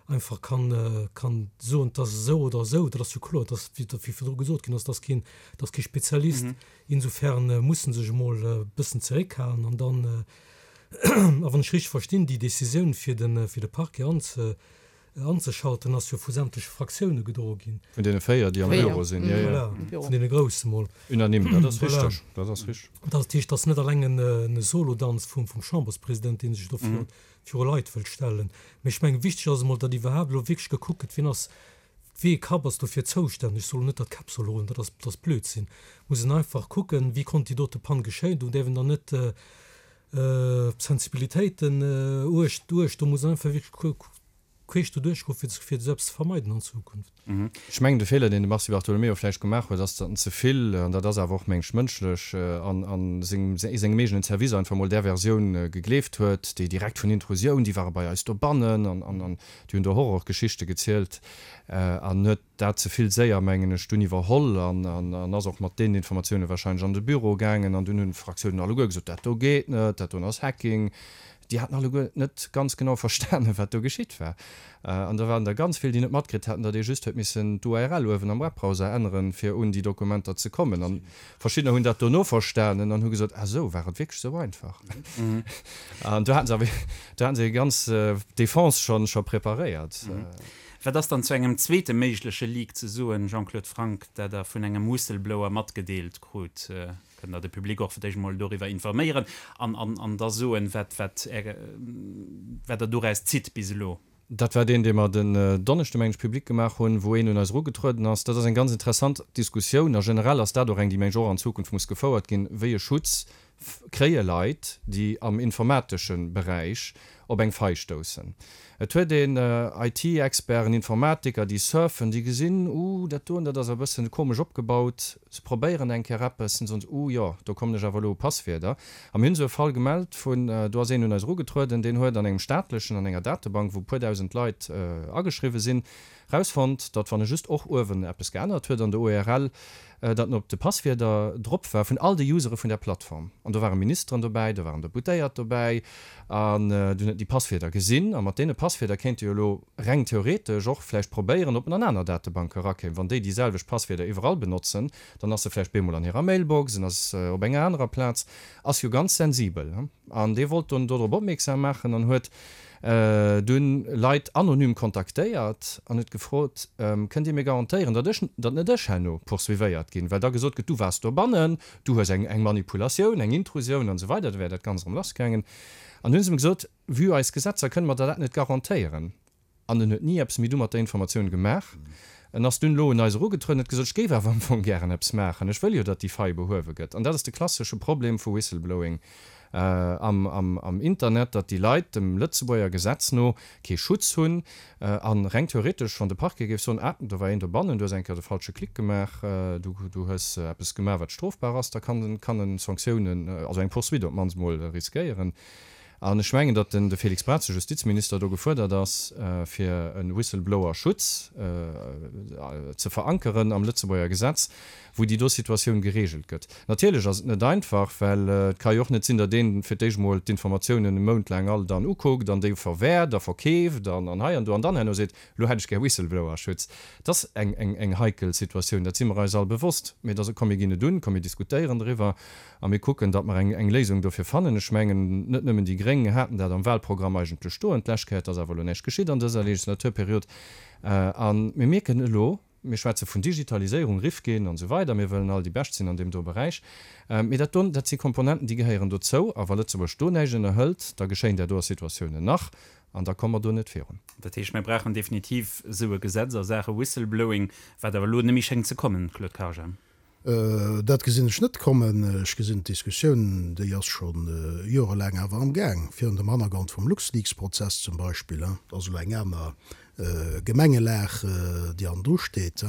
einfach kann, kann soen, et ass esou oder esou. Dat ass jo kloer, dass, wéi virdru gesot ginn ass, dass keen, dass kee Spezialist. Insofern muss en sech emol e bëssen zeréckhalen an dann, a wann ech richteg verstinn, déi Décisioun fir de, fir de Parquet anze, anzeschalten, ass jo vu sämtleche Fraktioune gedroe ginn. Vun deene véier, déi am Büro sinn, jo, jo. Voilà, vun deene grousse mol. Unanime, dat ass richteg, dat ass richteg. Dat heescht, dat ass net alleng en Solodanz vum, vum Chamberspresident, dee sech do viru, viru Leit wëllt stellen. Mee ech mengen, wichteg ass emol, datt iwwerhaapt elo wierklech gekuckt gëtt, wien ass, wéi ee Kapp ass dofir zoustänneg. Ech soll elo net, datt d'Käpp solle rullen, dat ass, dat ass Blödsinn. Muss een einfach kucken, wéi konnt déi dote Pann geschéien. Do däerf een dann net op Sensibilitéiten uecht, uecht, do muss een einfach wierklech queesch doduerch goen, fir, fir esou eppes ze vermeiden an Zukunft. Ech mengen, de Feeler, deen de Mars Di Bartolomeo vläicht gemaach huet, ass, datt en ze vill, an dat ass awer och, meng ech, mënschlech, an a sengem, sengem eegenen Service einfach emol där Versioun gegleeft huet, déi direkt vun Intrusioun, déi ware bei eis dobannen an, an, an déi hunn do Horrorgeschichte gezielt, an huet dat ze vill séier, mengen ech, dunn iwwerholl an, an, an ass och mat deenen Informatioune wahrscheinlech an de Büro gaangen an dunn hunn d'Fraktiounen alleguer gesot, dat do geet net, dat doen ass Hacking. Déi haten alleguer net ganz genau verstanen, wat do geschitt war. An da waren der ganz vill, déi net matkritt haten, datt ee just huet missen d'URL uewen am Webbrowser änneren, fir un déi Dokumenter ze kommen. An verschiddener hunn dat dono verstanen an hu gesot, Ah sou, war et wierklech sou einfach? An do haten se awer, do haten se hir ganz Defense schonn, scho preparéiert. Wat ass dann zu engem zweete méigleche Leak ze soen, Jean-Claude Franck, dat Der vun engem Whistleblower matgedeelt krut? Kënnt Der de Public och fir d'éischt emol doriwwer informéieren an, an, an da soen, wat, wat Är, wat Der doraus zitt bis elo? Dat war deen, dee mer den Donneschde, meng ech, public gemaach hunn, wou een un eis erugetrueden ass. Dat ass eng ganz interessant Diskussioun a generell ass dat och eng, déi, meng ech, och an Zukunft muss gefouert ginn, Wéi e Schutz kréie Leit, déi am informatesche Beräich op eng Fai stoussen? Et huet een IT-Experten, Informatiker, déi surfen, déi gesinn, Uh, dat doen, dat ass e bëssen komesch opgebaut. Se probéieren eng Kéier eppes, an soen se, Uh, jo, do kommen ech awer elo u Passwierder. A mir hunn esou e Fall gemellt vun, do ass een un eis erugetrueden, deen huet an engem staatlechen, an enger Datebank, wou e puer dausend Leit ageschriwwe sinn, Rausfonnt, datt wann e just och uewen eppes geännert huet an der U R L, datt en op de Passwierder drop war vun all de Usere vun där Plattform. An do ware Ministeren dobäi, do waren Deputéiert dobäi an dunn huet en déi Passwierder gesinn. A mat deene Passwierder kéint e jo elo reng theoretesch och vläicht probéieren, ob en an aner Datebanke erakéim. Wann déi déi selwecht Passwierder iwwerall benotzen, dann ass e vläicht bemol an hirer Mailbox, en ass op enger anerer Plaz. Ass jo ganz sensibel. An dee wollt dunn dodrop opmierksam maachen an huet dunn Leit anonym kontaktéiert an huet gefrot, Kënnt Dir mir garantéieren, datt ech, datt net ech herno poursuivéiert ginn, well da gesot gëtt, du waars dobannen, du hues eng, eng Manipulatioun, eng Intrusioun an esou weider, da wär dat Ganzt erëm lassgaangen. An hunn se em gesot, vue eis Gesetzer kënne mer der dat net garantéieren. An en huet ni eppes méi du mat der Informatioun gemaach. En ass dunn elo un eis erugetrueden, huet gesot, ech géif awer am Fong gären eppes maachen, ech wëll jo, datt déi Faille behuewe gëtt. An dat ass de klassesche Problem vu Whistleblowing am Internet, datt déi Leit dem Lëtzebuerger Gesetz no kee Schutz hunn a reng theoretesch, wann de Parquet géif soen, ah, do war een dobannen, du hues eng Kéier de falsche Klick gemaach, du hues eppes gemaach, wat strofbar ass, da kann en Sanktiounen, also eng Poursuite op d'mannst mol riskéieren. An ech mengen, datt den de Félix Braz, de Justizminister, do gefuerdert ass, fir e Whistleblower-Schutz ze verankeren am Lëtzebuerger Gesetz, wou déi do Situatioun geregelt gëtt. Natierlech ass et net einfach, well et ka jo och net sinn, datt een fir d'éischt emol d'Informatiounen e Mount laang all dann ukuckt an déi verwäert a verkeeft an hei an do an dann herno seet, elo hätt ech gär Whistleblower-Schutz. Et ass eng heikel Situatioun, dat si mer eis all bewosst. Mee et ass, komm mir ginn et un, komm mir diskutéieren driwwer a mir kucken, datt mer eng Léisung dofir fannen. Ech mengen, net nëmmen déi Gréng haten dat am Wahlprogramm eigentlech stoen d'lescht Kéier. Et ass awer elo näischt geschitt an dëser Legislaturperiod. A mir mierken elo, mir schwätze vun Digitaliséierung, Rifkin an esou weider, mir wëllen all déi Bescht sinn an deem do Beräich, mee dat do, dat si Komponenten, déi gehéieren dozou. A wa Lëtzebuerg do näischt ënnerhëlt, da geschéien där doer Situatiounen nach an da komme mer do net virun. Dat heescht, mir brauchen definitiv esou e Gesetz a Saache Whistleblowing, wat awer elo net méi schéngt ze kommen, Claude Karger. Dat gesinn ech net kommen. Ech gesinn d'Diskussioun, déi ass scho jorelaang awer am Gaang, virun dem Hannergrond vum LuxLeaks-Prozess zum Beispill. Dat ass elo eng aner Gemengelag, déi hannendru steet,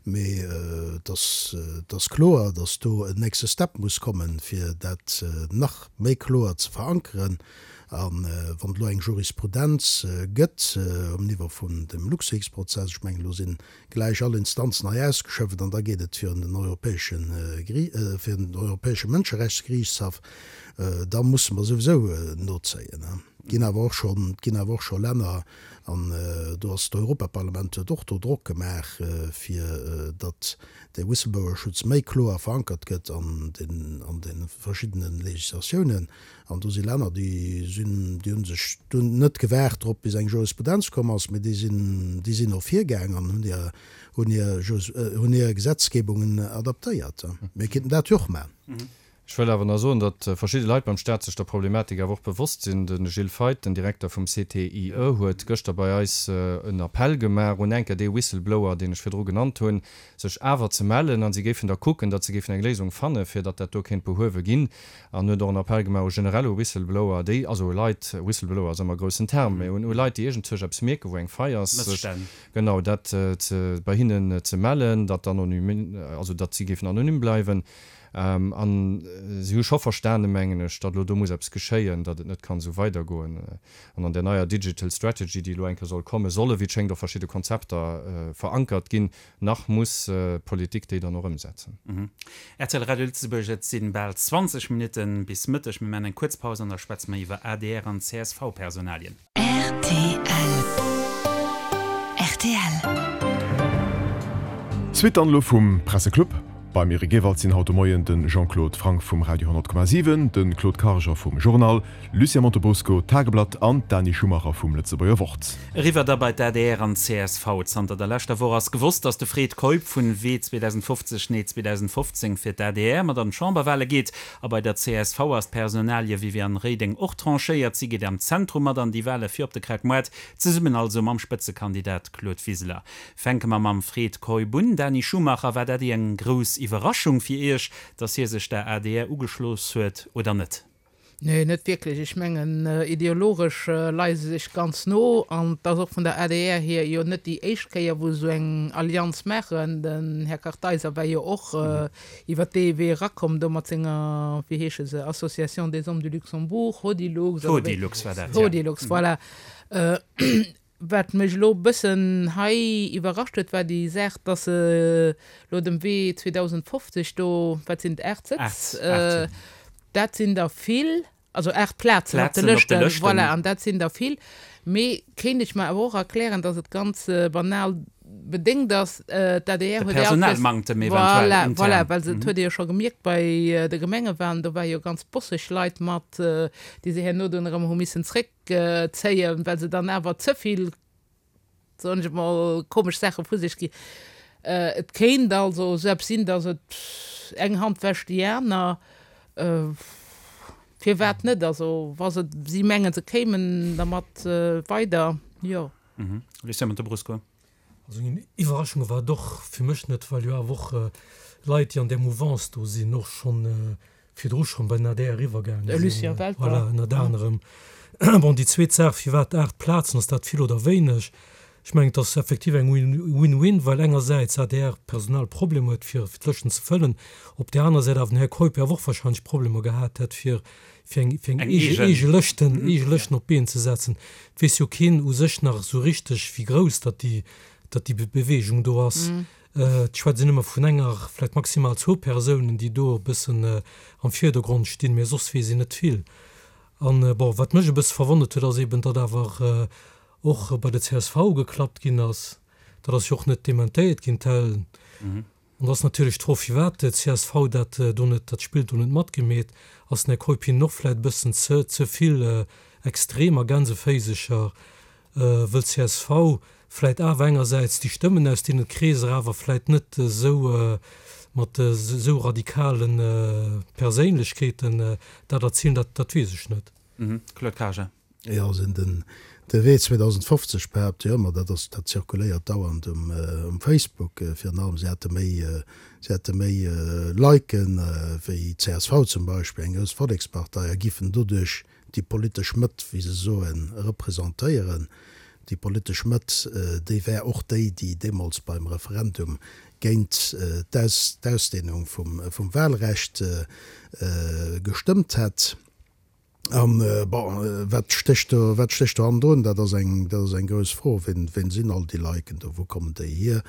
mee et ass kloer, datt do en nächste Step muss kommen, fir dat nach méi kloer ze verankeren. A wann et elo eng Jurisprudenz gëtt um Niveau vun dem LuxLeaks-Prozess, ech mengen, elo sinn gläich all Instanzen hei ausgeschöpft an da geet et virun den europäesche virun den europäesche Mënscherechtsgeriichtshaff, da musse mer souwisou nozéien. Et ginn awer och schonn, et ginn awer och scho Länner, an do ass d'Europaparlament huet och do Drock gemaach, fir datt de Whistleblower-Schutz méi kloer verankert gëtt an den an de verschiddene Législatiounen. An do si Länner, déi sinn, déi hu sech dunn net gewaart drop, bis eng Jurisprudenz komm ass, mee déi sinn, déi sinn och virgaang an hunn hir, hunn hir, hunn hir Gesetzgebungen adaptéiert. Mir kéinten dat jo och maachen. Ech wëll awer nach soen, datt verschidde Leit beim Staat sech der Problematik awer och bewosst sinn. De Gilles Feith, den Direkter vum C T I E, huet gëschter bei eis en Appell gemaach un enker dee Whistleblower, deen ech virdru genannt hunn, sech awer ze mellen an si géifen da kucken, datt se géifen eng Léisung fanne fir datt dat do kéint behuewe ginn. An huet och en Appell gemaach u generell u Whistleblower, déi, also u Leit, Whistleblower ass ëmmer e groussen Term, mä un u Leit, déi iergendzwousch eppes mierken, wou eng Faille ass, sech Mësstänn. genau dat ze bei hinnen ze mellen, datt anonym, also datt si géifen anonym bleiwen. An si hu scho verstanen, mengen ech, datt elo do muss eppes geschéien, datt et net kann esou weidergoen. An an där neier Digital Strategy, déi elo eng Kéier soll kommen, solle wéi et schéngt och verschidde Konzepter verankert ginn. Nach muss d'Politik déi dann och ëmsetzen. Rtl Radio Lëtzebuerg, Et si bal zwanzeg Minutte bis Mëtteg. Mir maachen eng kuerz Paus an da schwätze mer iwwer adr an C S V-Personalien. Rtl. Rtl. D'Suite dann elo vum Presseclub. Beim Eric Ewald sinn haut de Moien de Jean-Claude Franck vum Radio honnert Komma siwen, de Claude Karger vum Journal, Lucien Montebrusco, Tageblatt, an d'Dani Schumacher vum Lëtzebuerger Wort. Eriwwer da bei d'ADR an d'C S V. Zanter der leschter Woch ass gewosst, datt de Fred Keup vun Wee zweedausendfofzeg, Nee zweedausendfofzéng fir d'ADR mat an d'Chamberwale geet. A bei der C S V ass d'Personalie Viviane Reding och tranchéiert. Si geet am Zentrum mat an déi Wale fir op de Krautmaart, zesummen also mam Spëtzekandidat Claude Wiseler. Fänke mer mam Fred Keup un. Dani Schumacher, war dat eng grouss Iwwerraschung fir Iech, datt hie sech der A D R ugeschloss huet, oder net? Nee, net wierklech. Ech mengen, ideologesch leie se sech ganz no an et ass och vun der A D R hier jo net déi éischt Kéier, wou se esou eng Allianz maachen. Den Här Kartheiser war jo och iwwert dee Wee erakomm do mat senger, wéi heesche se, Association des Hommes du Luxembourg, Hodilux oder wéi? Hodilux war dat, ja. Hodilux, voilà. Wat mech elo e bëssen hei iwwerrascht huet, war déi Saach, dass se elo dem Wee zweedausendfofzeg do, wat sinn et, aacht Sëtz, dat sinn der vill, also aacht Plazen op de Lëschten, voilà, an dat sinn der vill. Mee kéint ech mer awer och erklären, dass et ganz banal bedéngt ass, d'A D R huet jo all Kees, voilà, voilà, well se, et huet ee jo scho gemierkt bei de Gemengewahlen, do ware jo ganz bosseg Leit mat, déi se herno dunn erëm hu missen zréck zéien, well se dann awer ze vill, soen ech emol, komesch Saache vu sech ginn. Et kéint also esou eppes sinn, datt et eng Hand wäscht déi aner. Firwat net? Also wa se, si mengen, se kéimen dermat weider, jo. Lucien Montebrusco. Also eng Iwwerraschung war et och fir mech net, well jo awer och Leit, déi an där Mouvance do sinn, och schonn virdru schonn bei den A D R eriwwergaange De Lucien sinn, Welter. voilà, ënnert anerem. Bon, déi zweet Saach, firwat aacht Plazen, ass dat vill oder wéineg? Ech mengen, et ass effektiv eng Win-win, well engersäits A D R Personalproblemer huet, fir d'Lëschten ze fëllen, op där aner Säit awer den Här Keup jo awer och wahrscheinlech Problemer gehat hätt, fir fir eng fir eng Eng eege eegen. eege Lëschten, eege Ja. Lëschten op d'Been ze setzen. Et weess jo keen u sech nach esou richteg, wéi grouss datt déi datt déi Bewegung do ass. Et schwätzt een ëmmer vun enger, vläicht maximal zwou Persounen, déi do e bëssen am Virdergrond stinn, mä soss weess een net vill. An, bon, wat mech e bësse verwonnert huet, ass eben, datt awer och bei der C S V geklappt ginn ass. Dat ass jo och net dementéiert ginn, tel. An da ass natierlech d'Fro, firwat d'C S V dat do net, dat Spill do net matgemeet. Ass den Här Keup hinnen och vläicht e bëssen ze, ze vill extrem a Gänseféisecher? Wëll C S V vläit awer engersäits déi Stëmmen aus deene Kreeser awer vläit net esou mat esou radikale Perséinlechkeeten dat erzilen, dat dat weess ech net. Claude Karger. Jo, also den de Wee zweedausendfofzeg behaapt jo ëmmer, dat ass, dat zirkuléiert dauernd um um Facebook, virun allem se hätte méi, se hätte méi Liken wéi C S V zum Beispill, eng grouss Vollekspartei, a giffen doduerch déi politesch Mëtt, wéi se soen, representéieren. Déi politesch Mëtt, déi wär och déi, déi deemools beim Referendum géint d'Ausdehnung vum Wahlrecht gestëmmt hätt. An, bon, wat stécht do, wat stécht do hannendrun? Dat ass eng, dat ass eng grouss Fro. Wien, wien sinn all déi Liken do? Wou kommen déi hier?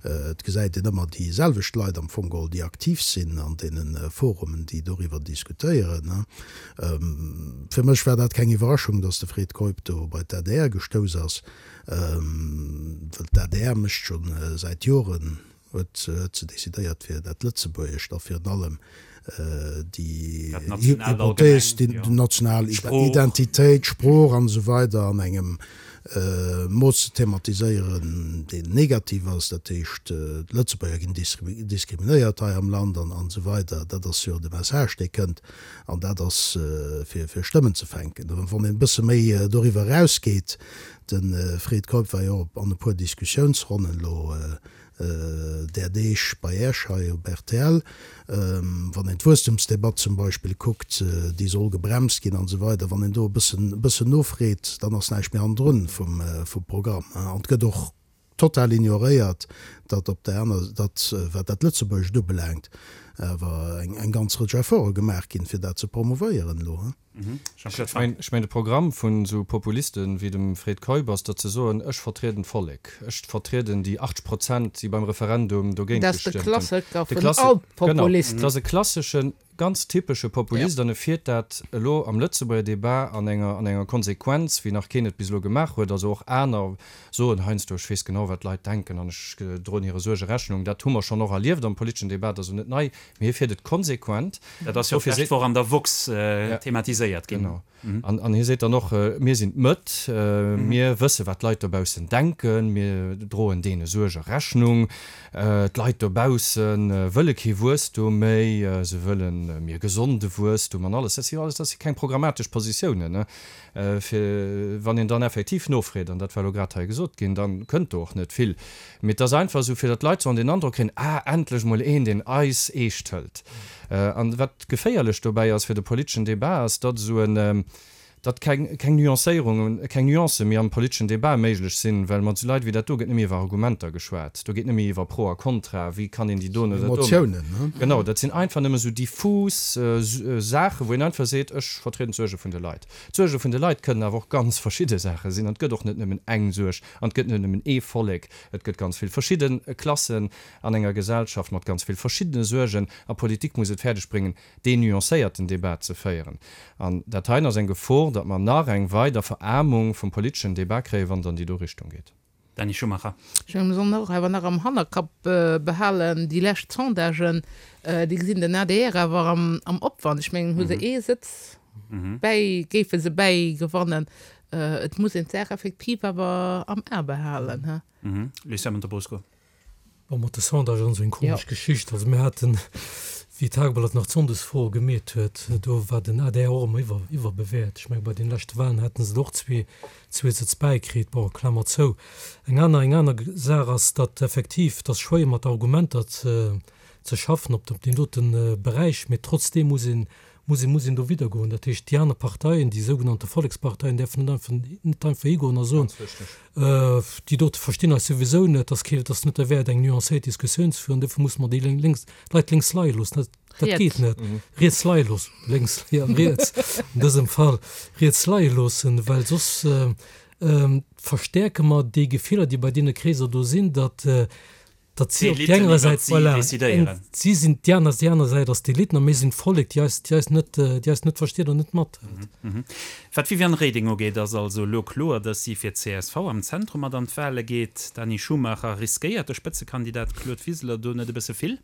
Et gesäit een ëmmer déi selwecht Leit am Fong geholl, déi aktiv sinn an deene Forumen, déi doriwwer diskutéieren. Fir mech war dat keng Iwwerraschung, datt de Fred Keup do bei d'A D R gestouss ass, well d'A D R mécht scho säit Joren, huet se decidéiert, fir dat Lëtzebuergescht a virun allem déi Hypothees, déi national Identitéit, d'Sprooch an esou weider an engem Mooss ze thematiséieren, deen negativ ass, dat heescht, d'Lëtzebuerger ginn diskriminéiert hei am Land an esou weider. Dat ass jo de Message, dee kënnt, an dat ass fir fir Stëmmen ze fänken. Wann een e bësse méi doriwwer erausgeet, de Fred Keup war jo an e puer Diskussiounsronnen elo där Deeg bei Äech hei op R T L, wann een d'Wuesstemsdebatt zum Beispill kuckt, déi soll gebremst ginn an esou weider, wann een do e bëssen, e bëssen nofreet, dann ass näischt méi hannendrun vum, vum Programm. An et gëtt och total ignoréiert, datt op där aner, datt, wat dat Lëtzebuergescht ubelaangt, awer eng ganz Rëtsch Efforte gemaach ginn, fir dat ze promouvéieren elo. Ech mengen, de Programm vun esou Populisten wéi dem Fred Keup ass, datt se soen, ech vertrieden d'Vollek, ech vertrieden déi achtzeg Prozent, déi beim Referendum dogéint gestëmmt hunn. Dat ass de Klassiker vun all Populisten. Genau, dat ass e klasseschen, ganz typesche Populist an e fiert dat elo am Lëtzebuerger Debat an enger, an enger Konsequenz, wéi nach keen et bis elo gemaach huet. Also och aner soen heiansdo, ech weess genau, wat d'Leit denken an ech droen hire Suerge Rechnung. Dat hu mer schonn och erlieft am politeschen Debat, dat ass also net nei, mee hie fiert et konsequent. Dat ass jo och d'lescht Woch an der woxx thematiséiert ginn. Genau. An hie seet dann och, Mir sinn d'Mëtt, mir wësse wat d'Leit dobaussen denken, mir droen deene Suerge Rechnung. D'Leit dobausse wëlle kee Wuesstum méi, se wëlle méi gesonde Wuesstum an alles. Dat si jo alles, dat si keng programmatesch Positiounen, fir wann een dann effektiv nofreet, an dat war elo grad hei gesot ginn, da kënnt do och net vill. Mee et ass einfach esou, fir datt d'Leit sollen den Androck kréien, Ah, endlech mol een, deen eis eescht hëlt. An wat geféierlech dobäi ass fir de politeschen Debat, ass, datt esou en, datt keng, keng Nuancéierungen, keng Nuancë méi am politeschen Debat méiglech sinn, well mat esou Leit wéi dat do gëtt net méi iwwer Argumenter geschwat, do geet net méi iwwer Pro a Contra, wéi kann een déi doen oder dat do maachen. Emotiounen, ne? Genau, dat sinn einfach nëmme esou diffus Saachen, wou een einfach seet, ech vertrieden d'Suerge vun de Leit. D'Suerge vun de Leit kënnen awer och ganz verschidde Saache sinn an et gëtt och net nëmmen eng Suerg an et gëtt net nëmmen ee Vollek, et gëtt ganz vill verschidde Klassen an enger Gesellschaft mat ganz vill verschiddene Suergen a Politik muss et fäerdeg bréngen, deen nuancéierten Debat ze féieren. An dat heien ass eng Gefor, datt mer nach eng weider Veraarmung vum politeschen Debat kréien, wann et an déi do Richtung geet. Dany Schumacher. Ech mengen, mir sollen och awer nach am Hannerkapp behalen, déi lescht Sondagen, déi gesinn den adr awer am Opwand. Ech mengen, hu se ee Sëtz bäi, géife se bäigewannen. Et muss een d'Saach effektiv awer am A behalen. Lucien Montebrusco. Bon, mat de Sondagen ass eng komesch Geschicht. Also mir haten, wéi d'Tageblatt nach d'Sonndesfroe gemeet huet, do war den adr och ëmmer iwwer, iwwerbewäert. Ech menge bei den leschte Wahlen haten se och zwee, zwee Sëtz bäikritt. Bon, Klammer zou. Eng aner, eng aner Saach ass, datt effektiv, et ass schwéier mat Argumenter ze, ze schaffen op deem dote Beräich, mee trotzdeem muss een, muss een, muss een do widdergoen. Dat heescht, déi aner Parteien, déi sougenannte Volleksparteien, däerfen net einfach, net einfach higoen a soen, déi dote verstinn eis souwisou net, dat ass kee, dat ass net derwäert, eng nuancéiert Diskussioun ze führen, dofir musse mer déi lénks, Leit lénks leie loossen. Dat, dat geet net. Riets leie loossen, lénks, jo, riets, an dësem Fall riets leie loossen, well soss verstäerke mer déi Gefiller, déi bei deene Kreeser do sinn, datt, datt si op déi D'Eliten enger iwwert Säit, si voilà, decidéieren. si sinn déi aner, déi aner Säit ass d'Eliten a mir sinn d'Vollek, déi eis, déi eis net, déi eis net versteet an net mathëlt. Wat d'Viviane Reding ugeet, ass also elo kloer, datt si fir csv am Zentrum mat an d'Wale geet. Dany Schumacher, Riskéiert de Spëtzekandidat Claude Wiseler do net e bësse vill?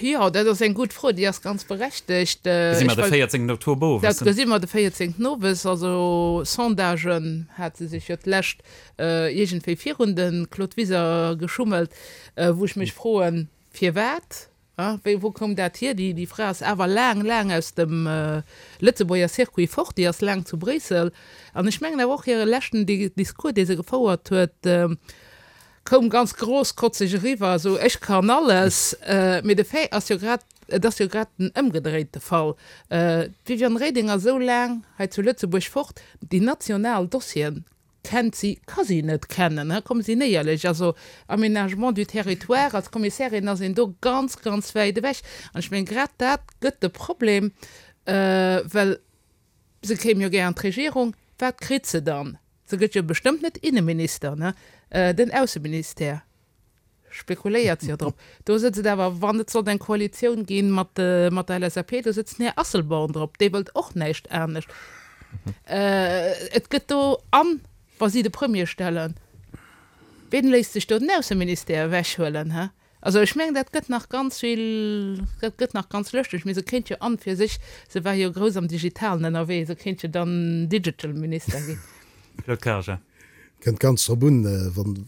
Jo, dat ass eng gutt Fro, déi ass ganz berechtegt. Gesi mer de véierzéngten Oktober owes. Dat gesi mer de véierzéngten owes. Also Sondagen hat se sech jo d'lescht iergendwéi virun de Claude Wiseler geschummelt, wou ech mech froen, firwat? Wéi, wou koum dat hier? Déi Fra ass awer laang, laang aus dem Lëtzebuerger Circuit fort, déi ass laang zu Bréissel. An ech mengen awer och hire leschten Discours, dee se gefouert huet, koum ganz grosskotzeg eriwwer, esou ech kann alles, mee de Fait ass jo grad, et ass jo grad den ëmgedréite Fall. D'Viviane Reding ass esou laang hei zu Lëtzebuerg fort, déi national Dossieren kennt si, ka si net kennen, komme sinn éierlech. Also Aménagement du territoire, als Kommissärin ass een do ganz, ganz wäit ewech. An ech mengen, grad dat gëtt de Problem, well se kéim jo gär an d'Regierung, wat kritt se dann? Se gëtt jo bestëmmt net Inneminister, ne? Den Ausseministère spekuléiert jo drop. Do sëtzt et awer, wann et sollt eng Koalitioun gi mat mat der LSAP, do sëtzt den Här Asselborn drop, dee wëllt och näischt anescht. Et gëtt do, an wa si de Premier stellen, ween léisst sech do den Ausseministère ewechhuelen, hä? Also ech mengen, dat gëtt nach ganz vill, dat gëtt nach ganz lëschteg. Mee se kéint jo an fir sech, se war jo grouss am Digitalen ënnerwee, se kéint jo dann Digital Minister ginn. Claude Karger. Kënnt ganz drop un,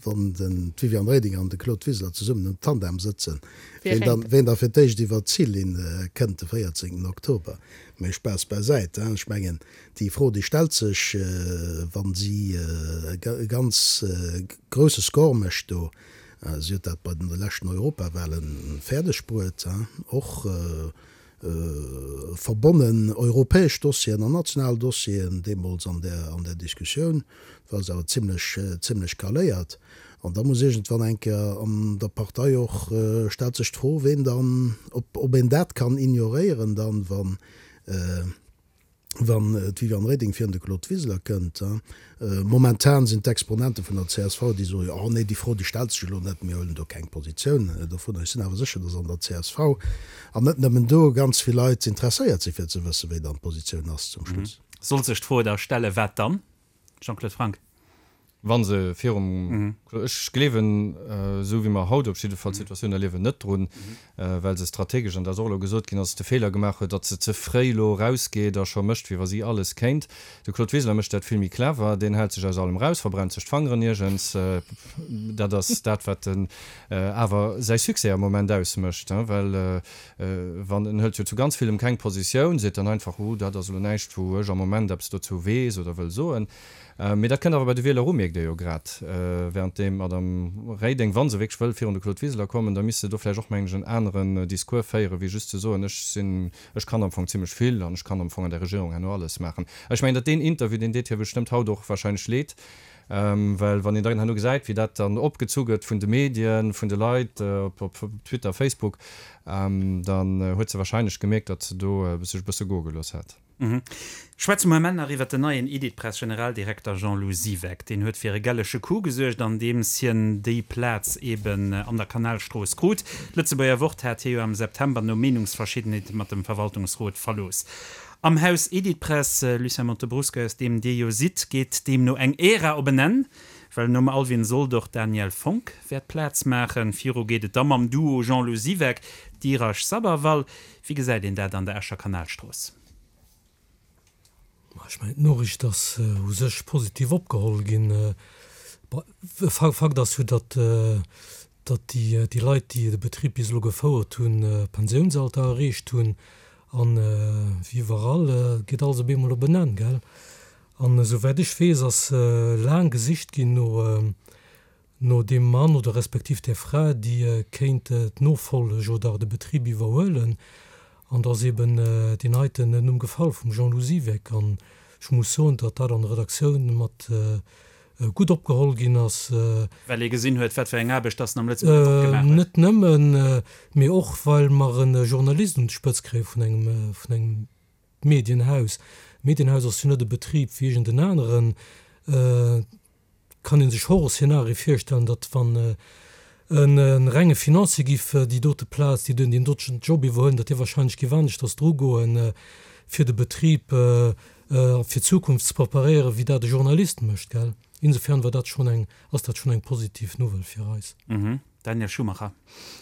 wann den d'Viviane Reding an de Claude Wiseler zesummen um Tandem sëtzen, ween dann, ween da fir d'éischt iwwer d'Zillinn kënnt de véierzéngten Oktober. Mee Spaass bäisäit, ech mengen, déi Fro, déi stellt sech, wa si e ganz grousse Score mécht do, Si huet dat bei de leschten Europawahlen fäerdeg bruet, och verbonnen, europäesch Dossieren an national Dossieren, deemools an där, an där Diskussioun war se awer zimlech, zimlech kaléiert. An da muss iergendwann eng Kéier an der Partei och, stellt sech d'Fro, ween dann, ob, ob een dat kann ignoréieren dann, wann, wann d'Viviane Reding virun de Claude Wiseler kënnt. Momentan sinn d'Exponente vun der csv, déi soen, jo, nee, déi Fro, déi stellt sech elo net, mir huelen do keng Positioun dovunner. Ech sinn awer sécher, datt an der csv, an net nëmmen do, ganz vill Leit interesséiert sinn, fir ze wëssen, wéi dann d'Positioun ass zum Schluss. Sollt sech d'Fro da stellen, wat dann? Jean-Claude Franck. Wa se virum, ech gleewen, esou wéi mer haut op jidde Fall d'Situatioun erliewen, net drun, well se strategesch, an dat ass och elo gesot ginn, ass, de Feeler gemaach huet, datt se ze fréi elo erausgeet a scho mécht, wéi wa si alles kéint. De Claude Wiseler mécht dat vill méi clever, deen hält sech aus allem eraus, verbrennt sech d'Fangeren niergends. Dat ass dat, wat en awer säi Succès am Moment ausmécht, well wann, en hëlt jo zu ganz villem keng Positioun, seet dann einfach, oh, dat ass elo näischt, wou ech am Moment eppes dozou weess oder wëll soen. Mee dat kënnt awer bei de Wieler u, mierkt ee jo grad. Währenddeem d'Madame Reding, wa se wierklech wëll virun de Claude Wiseler kommen, da misst se do vläicht och, mengen ech, en aneren Discours féieren, wéi just ze soen, ech sinn, ech kann am Fong zimlech vill an ech kann am Fong an der Regierung herno alles maachen. Ech mengen, datt deen Interview, deen deet hir bestëmmt haut och wahrscheinlech leed, well wann een dann herno gesäit, wéi dat dann opgezu gëtt vun de Medien, vun de Leit op Twitter, Facebook, dann huet se wahrscheinlech gemierkt, datt se do sech e bësse goe gelooss hat. Schwätze mer elo nach iwwert den neien Editpress-Generaldirekter Jean-Lou Siweck. Deen huet fir e gellege Coup gesuergt, andeems hien déi Plaz eben an der Kanalstrooss krut. D'Lëtzebuerger Wort hat hie jo am September no Meenungsverschiddenheete mat dem Verwaltungsrot verlooss. Am Haus Editpress, Lucien Montebrusco, aus deem Dir jo sidd, geet deemno eng Ära op en Enn, well nom Alwin Sold och d'Danièle Fonck wäert Plaz maachen. Viru geet et da mam Duo Jean-Lou Siweck, Dheeraj Sabharwal. Wéi gesäit een dat an der Escher Kanalstrooss? Ech mengen, d'Noriicht ass u sech positiv opgeholl ginn. Fakt ass jo, datt déi Leit, déi de Betrib bis elo gefouert hunn, Pensiounsalter erreecht hunn. An wéi iwwerall geet alles op eemol op en Enn, gell? An esouwäit ech weess, ass laang gesicht ginn no no deem Mann oder respektiv där Fra, déi kéint d'Nofolleg oder de Betrib iwwerhuelen. An da ass eben deen heiten Numm gefall vum Jean-Lou Siweck. An ech muss soen, datt dat an der Redaktioun mat gutt opgeholl ginn ass. Well ee gesinn huet, wat fir eng Aarbecht datt en am Lëtzebuerger Wort gemaach huet. Net nëmmen, mee och well mer e Journalist un d'Spëtz kréie vun engem, vun engem Medienhaus. Medienhaus ass jo net e Betrib wéi iergend en aneren. Kann ee sech Horrorszenarie virstellen, datt wann e renge Financier giff déi dote Plaz, déi deen doten Job iwwerhuelen, datt dee wahrscheinlech giff aneschters drugoen, fir de Betrib fir d'Zukunft ze preparéieren, wéi dat e Journalist mécht, gell. Insofern war dat schonn eng, ass dat schonn eng positiv Nouvelle fir eis. Daniel Schumacher.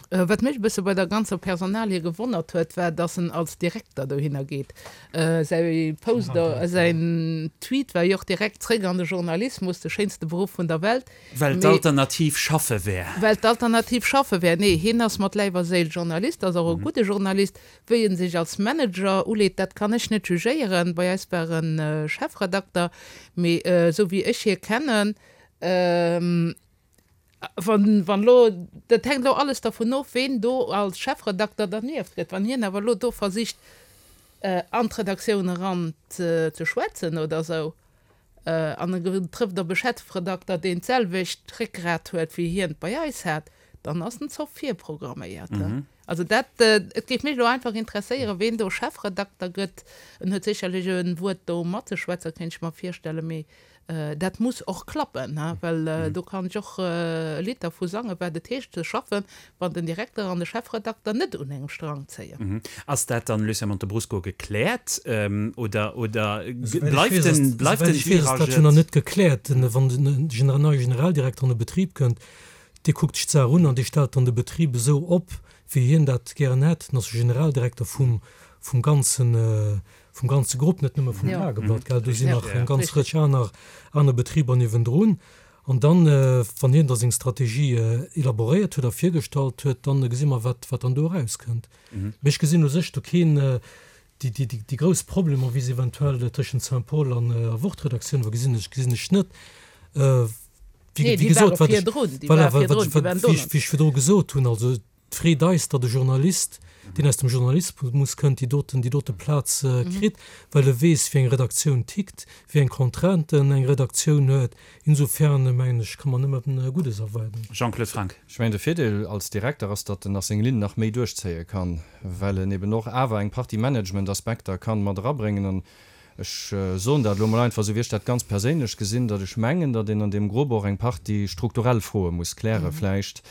Wat mech e bësse bei der ganzer Personalie gewonnert huet, war, dass en als Direkter dohinner geet. Säi Post, säin Tweet war jo och direkt, Zréck an de Journalismus, de schéinste Beruff vun der Welt. Well d'Alternativ schaffe wär. Well d'Alternativ schaffe wär. Nee, hien ass mat Läif a Séil Journalist, ass och e gudde Journalist. Wéi en sech als Manager uleet, dat kann ech net jugéieren. Bei eis war en Chefredakter, mee esou wéi ech hie kennen, Wann, wann elo, dat hänkt elo alles dervun of, ween do als Chefredakter dernieft gëtt. Wann hien awer elo do versicht, an d'Redaktioun eran ze schwätzen oder esou, an e trëfft op e Chefredakter, deen d'selwecht Réckgrat huet, wéi hien et bei eis hat, dann ass den Zoff virprogramméiert. Also dat, et géif mech elo einfach interesséieren, ween do Chefredakter gëtt. En huet sécherlech e Wuert do matzeschwätzen, kéint ech mer virstellen, mee Dat muss och klappen, well do kann ech och e Lidd dervu sangen, wat et heescht ze schaffen, wann den Direkter an de Chefredakter net un engem Strang zéien. Ass dat dann, Lucien Montebrusco, gekläert oder bleift den Esouwäit ech weess, ass dat jo nach net gekläert. Wann den neie Generaldirekter an de Betrib kënnt, dee kuckt sech d'Saach un an dee stellt dann de Betrib esou op, wéi hien dat gären hätt. En ass jo Generaldirekter vum ganzen vum ganze Grupp, net nëmme vum Tageblatt, gell, do sinn nach eng ganz Rëtsch aner, aner Betriber niewendrun. An dann, wann hien da seng Strategie elaboréiert huet a virgestallt huet, dann gesi mer, wat, wat dann do erauskënnt. Mee ech gesinn u sech do keen, déi, déi, déi grouss Problemer, wéi se eventuell tëschent Saint-Paul an a Wort-Redaktioun war, gesinn ech, gesinn ech net. Wéi, wéi gesot, wat ech, voilà, wat, wat, wéi ech, wéi ech virdru gesot hunn, also, freet eis, datt e Journalist, deen aus dem Journalismus kënnt, déi doten, déi dote Plaz kritt, well e weess, wéi eng Redaktioun tickt, wéi eng Contrainten eng Redaktioun huet. Insofern, mengen ech, ka mer nëmme Guddes erwaarden. Jean-Claude Franck. Ech mengen, de Virdeel als Direkter ass, datt en nach seng Linn nach méi duerchzéie kann, well en eben och awer eng Partie Managementaspekter kann mat erabréngen. An ech soen dat elo mol einfach esou, wéi ech dat ganz perséinlech gesinn, datt ech mengen, datt een an deem Grupp och eng Partie strukturell Froe muss kläre vläicht.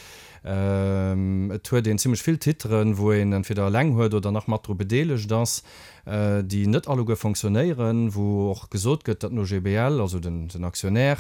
Et huet een zimlech vill Titeren, wou een entweder eleng huet oder nach mat dru bedeelegt ass, déi net alleguer fonctionnéieren, wou och gesot gëtt, datt den OGBL, also den Aktionär,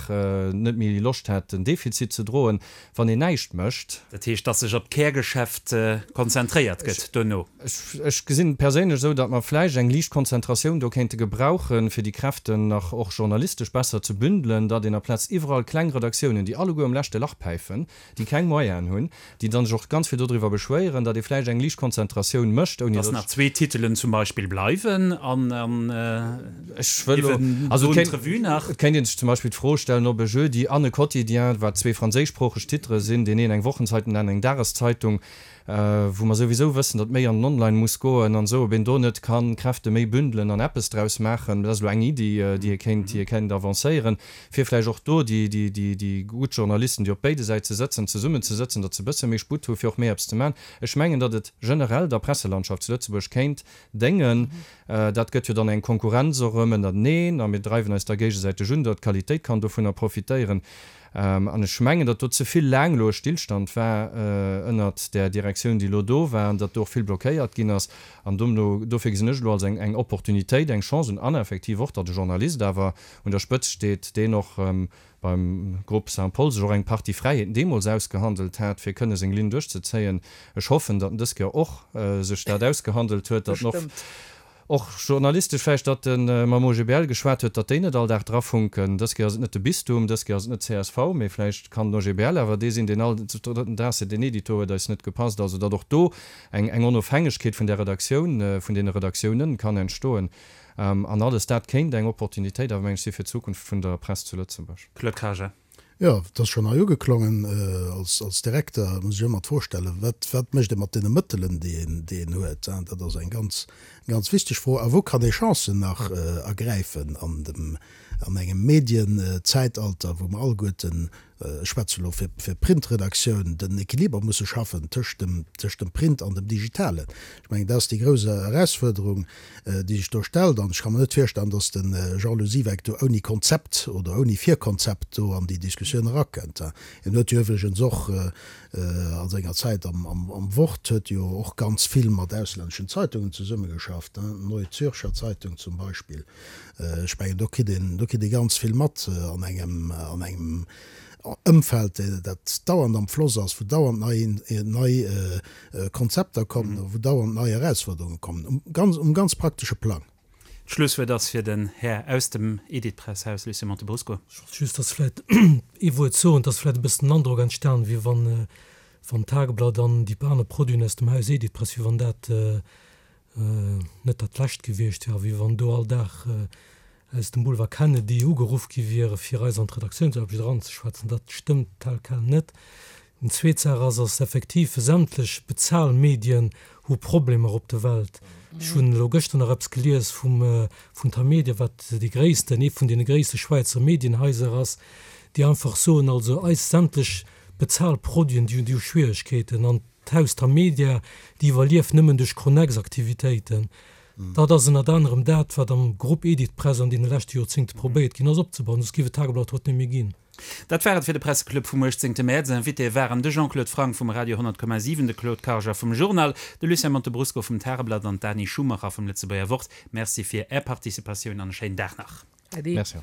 net méi Loscht hätt, den Defizit ze droen, wann een näischt mécht. Dat heescht, datt sech op d'Kärgeschäft konzentréiert gëtt dono? Ech gesinn et perséinlech esou, datt mer vläicht eng liicht Konzentratioun do kéinte gebrauchen, fir déi Kräften nach och journalistesch besser ze bündelen, datt een aplaz iwwerall kleng Redaktiounen, déi alleguer um leschte Lach päifen, déi keng Moyenen hunn, déi dann sech och ganz vill dodriwwer beschwéieren, datt ee vläicht eng liicht Konzentratioun mécht, ouni datt. Datt nach zwee Titelen zum Beispill bleiwen an Ech wëll elo, also et kéint, et kéint ee sech zum Beispill d'Fro stellen, ob e Jeudi an e Quotidien, wat zwee franséischsproocheg Titere sinn, deen een eng Wochenzeitung, den aneren eng Dageszeitung, wou mer souwisou wëssen, datt méi an den Online muss goen an esou, ob een do net kann Kräfte méi bündelen an eppes draus maachen. Dat ass elo eng Iddi, déi ee kéint, déi ee kéint avancéieren, fir vläicht och do déi, déi, déi, déi gutt Journalisten, déi op béide Säite sëtzen, zesummenzesëtzen, datt se e bësse méi Sputt hu fir och méi eppes ze maachen. Ech mengen, datt et generell der Presselandschaft zu Lëtzebuerg kéint déngen. Dat gëtt jo dann eng Konkurrenz och erëm ënnerteneen a mir dreiwen eis da géigesäiteg un, datt d'Qualitéit kann dovunner profitéieren. An ech mengen, datt do ze vill laang elo e Stillstand war ënnert där Direktioun, déi elo do war, an datt do och vill blockéiert ginn ass. An domno, dofir gesinn ech elo als eng Opportunitéit, eng Chance un, an effektiv och, datt e Journalist awer un der Spëtzt steet, deen och beim Groupe Saint-Paul sech och eng Partie Fräiheeten deemools ausgehandelt hat, fir kënne seng Linn duerchzezéien. Ech hoffen, datt en dës Kéier och sech dat ausgehandelt huet, datt en och, och journalistesch vläicht, datt e mam OGBL geschwat huet, datt déi net all Dag drafunken. Dës Kéier ass et net de Bistum, dës Kéier ass et net csv, mee vläicht kann den OGBL awer dee sinn, deen all drëtten Dag seet, deen Edito huet eis net gepasst. Also datt och do eng eng Onofhängegkeet vun där Redaktioun, vun deene Redaktiounen kann entstoen. An alles dat kéint eng Opportunitéit awer, meng ech, si fir d'Zukunft vun der Press zu Lëtzebuerg. Claude Karger. Jo, et ass schonn hei ugeklongen, als, als Direkter muss ech ëmmer d'Fro stellen, wat, wat mécht ee mat deene Mëttelen, déi een, déi een huet? Dat ass eng ganz, ganz wichteg Fro. A wou kann ee Chancen nach ergräifen an dem, an engem Medienzäitalter, wou mer alleguerten, ech schwätze elo fir, fir d'Printredaktioun, den Equiliber musse schaffen tëscht dem, tëscht dem Print an dem Digitalen. Ech mengen, dat ass déi grouss Erausfuerderung, déi sech do stellt. An ech ka mer net virstellen, datt de Jean-Lou Siweck do ouni Konzept oder ouni Virkonzept do an déi Diskussioun erakënnt. Hien huet jo iwwregens och a senger Zäit am Wort huet jo och ganz vill mat auslänneschen Zeitungen zesummegeschafft, Neue Zürcher Zeitung zum Beispill. Ech mengen, do kritt een, do kritt ee ganz vill mat an engem, an engem Ëmfeld, dat dauernd am Floss ass, wou dauernd nei, nei Konzepter kommen, wou dauernd nei Erausfuerderunge kommen, um ganz, um ganz praktesche Plang. D'Schlusswuert ass fir den Här aus dem Editpress-Haus, Lucien Montebrusco. Ech wollt just, dass vläicht ee Wuert soen, et ass vläicht e bëssen den Androck entstanen, wéi wann, wann d'Tageblatt an déi aner Produiten aus dem Haus Editpress, wéi wann dat net dat Lescht gewiescht wär a wéi wann do all Dag aus dem Boulevard Kennedy ugeruff gi wiere fir eis an d'Redaktiounsaarbecht eranzeschwätzen. Dat stëmmt tel quel net. Eng zweet Saach ass, ass effektiv, sämtlech Bezahlmedien hu Problemer op der Welt. Ech hunn elo gëschter nach eppes gelies vum, vun Tamedia, wat déi gréissten, ee vun deene gréisste Schwäizer Medienhaiser ass, déi einfach soen, also eis sämtlech Bezahlproduiten, déi hunn, déi hu Schwieregkeeten. An d'Haus Tamedia, déi iwwerlieft nëmmen duerch Connex-Aktivitéiten. Dat ass ënnert anerem dat, wat am Grupp Editpress an deene leschte Joerzéngte probéiert ginn ass opzebauen, soss géif et d'Tageblatt haut net méi ginn. Dat war et fir de Presseclub vum uechtzéngte Mäerz. Invitéë waren de Jean-Claude Franck vum Radio honnert Komma siwen, de Claude Karger vum Journal, de Lucien Montebrusco vum Tageblatt an d'Dany Schumacher vum Lëtzebuerger Wort. Merci fir Är Participatioun an e schéinen Dag nach. Äddi. Merci.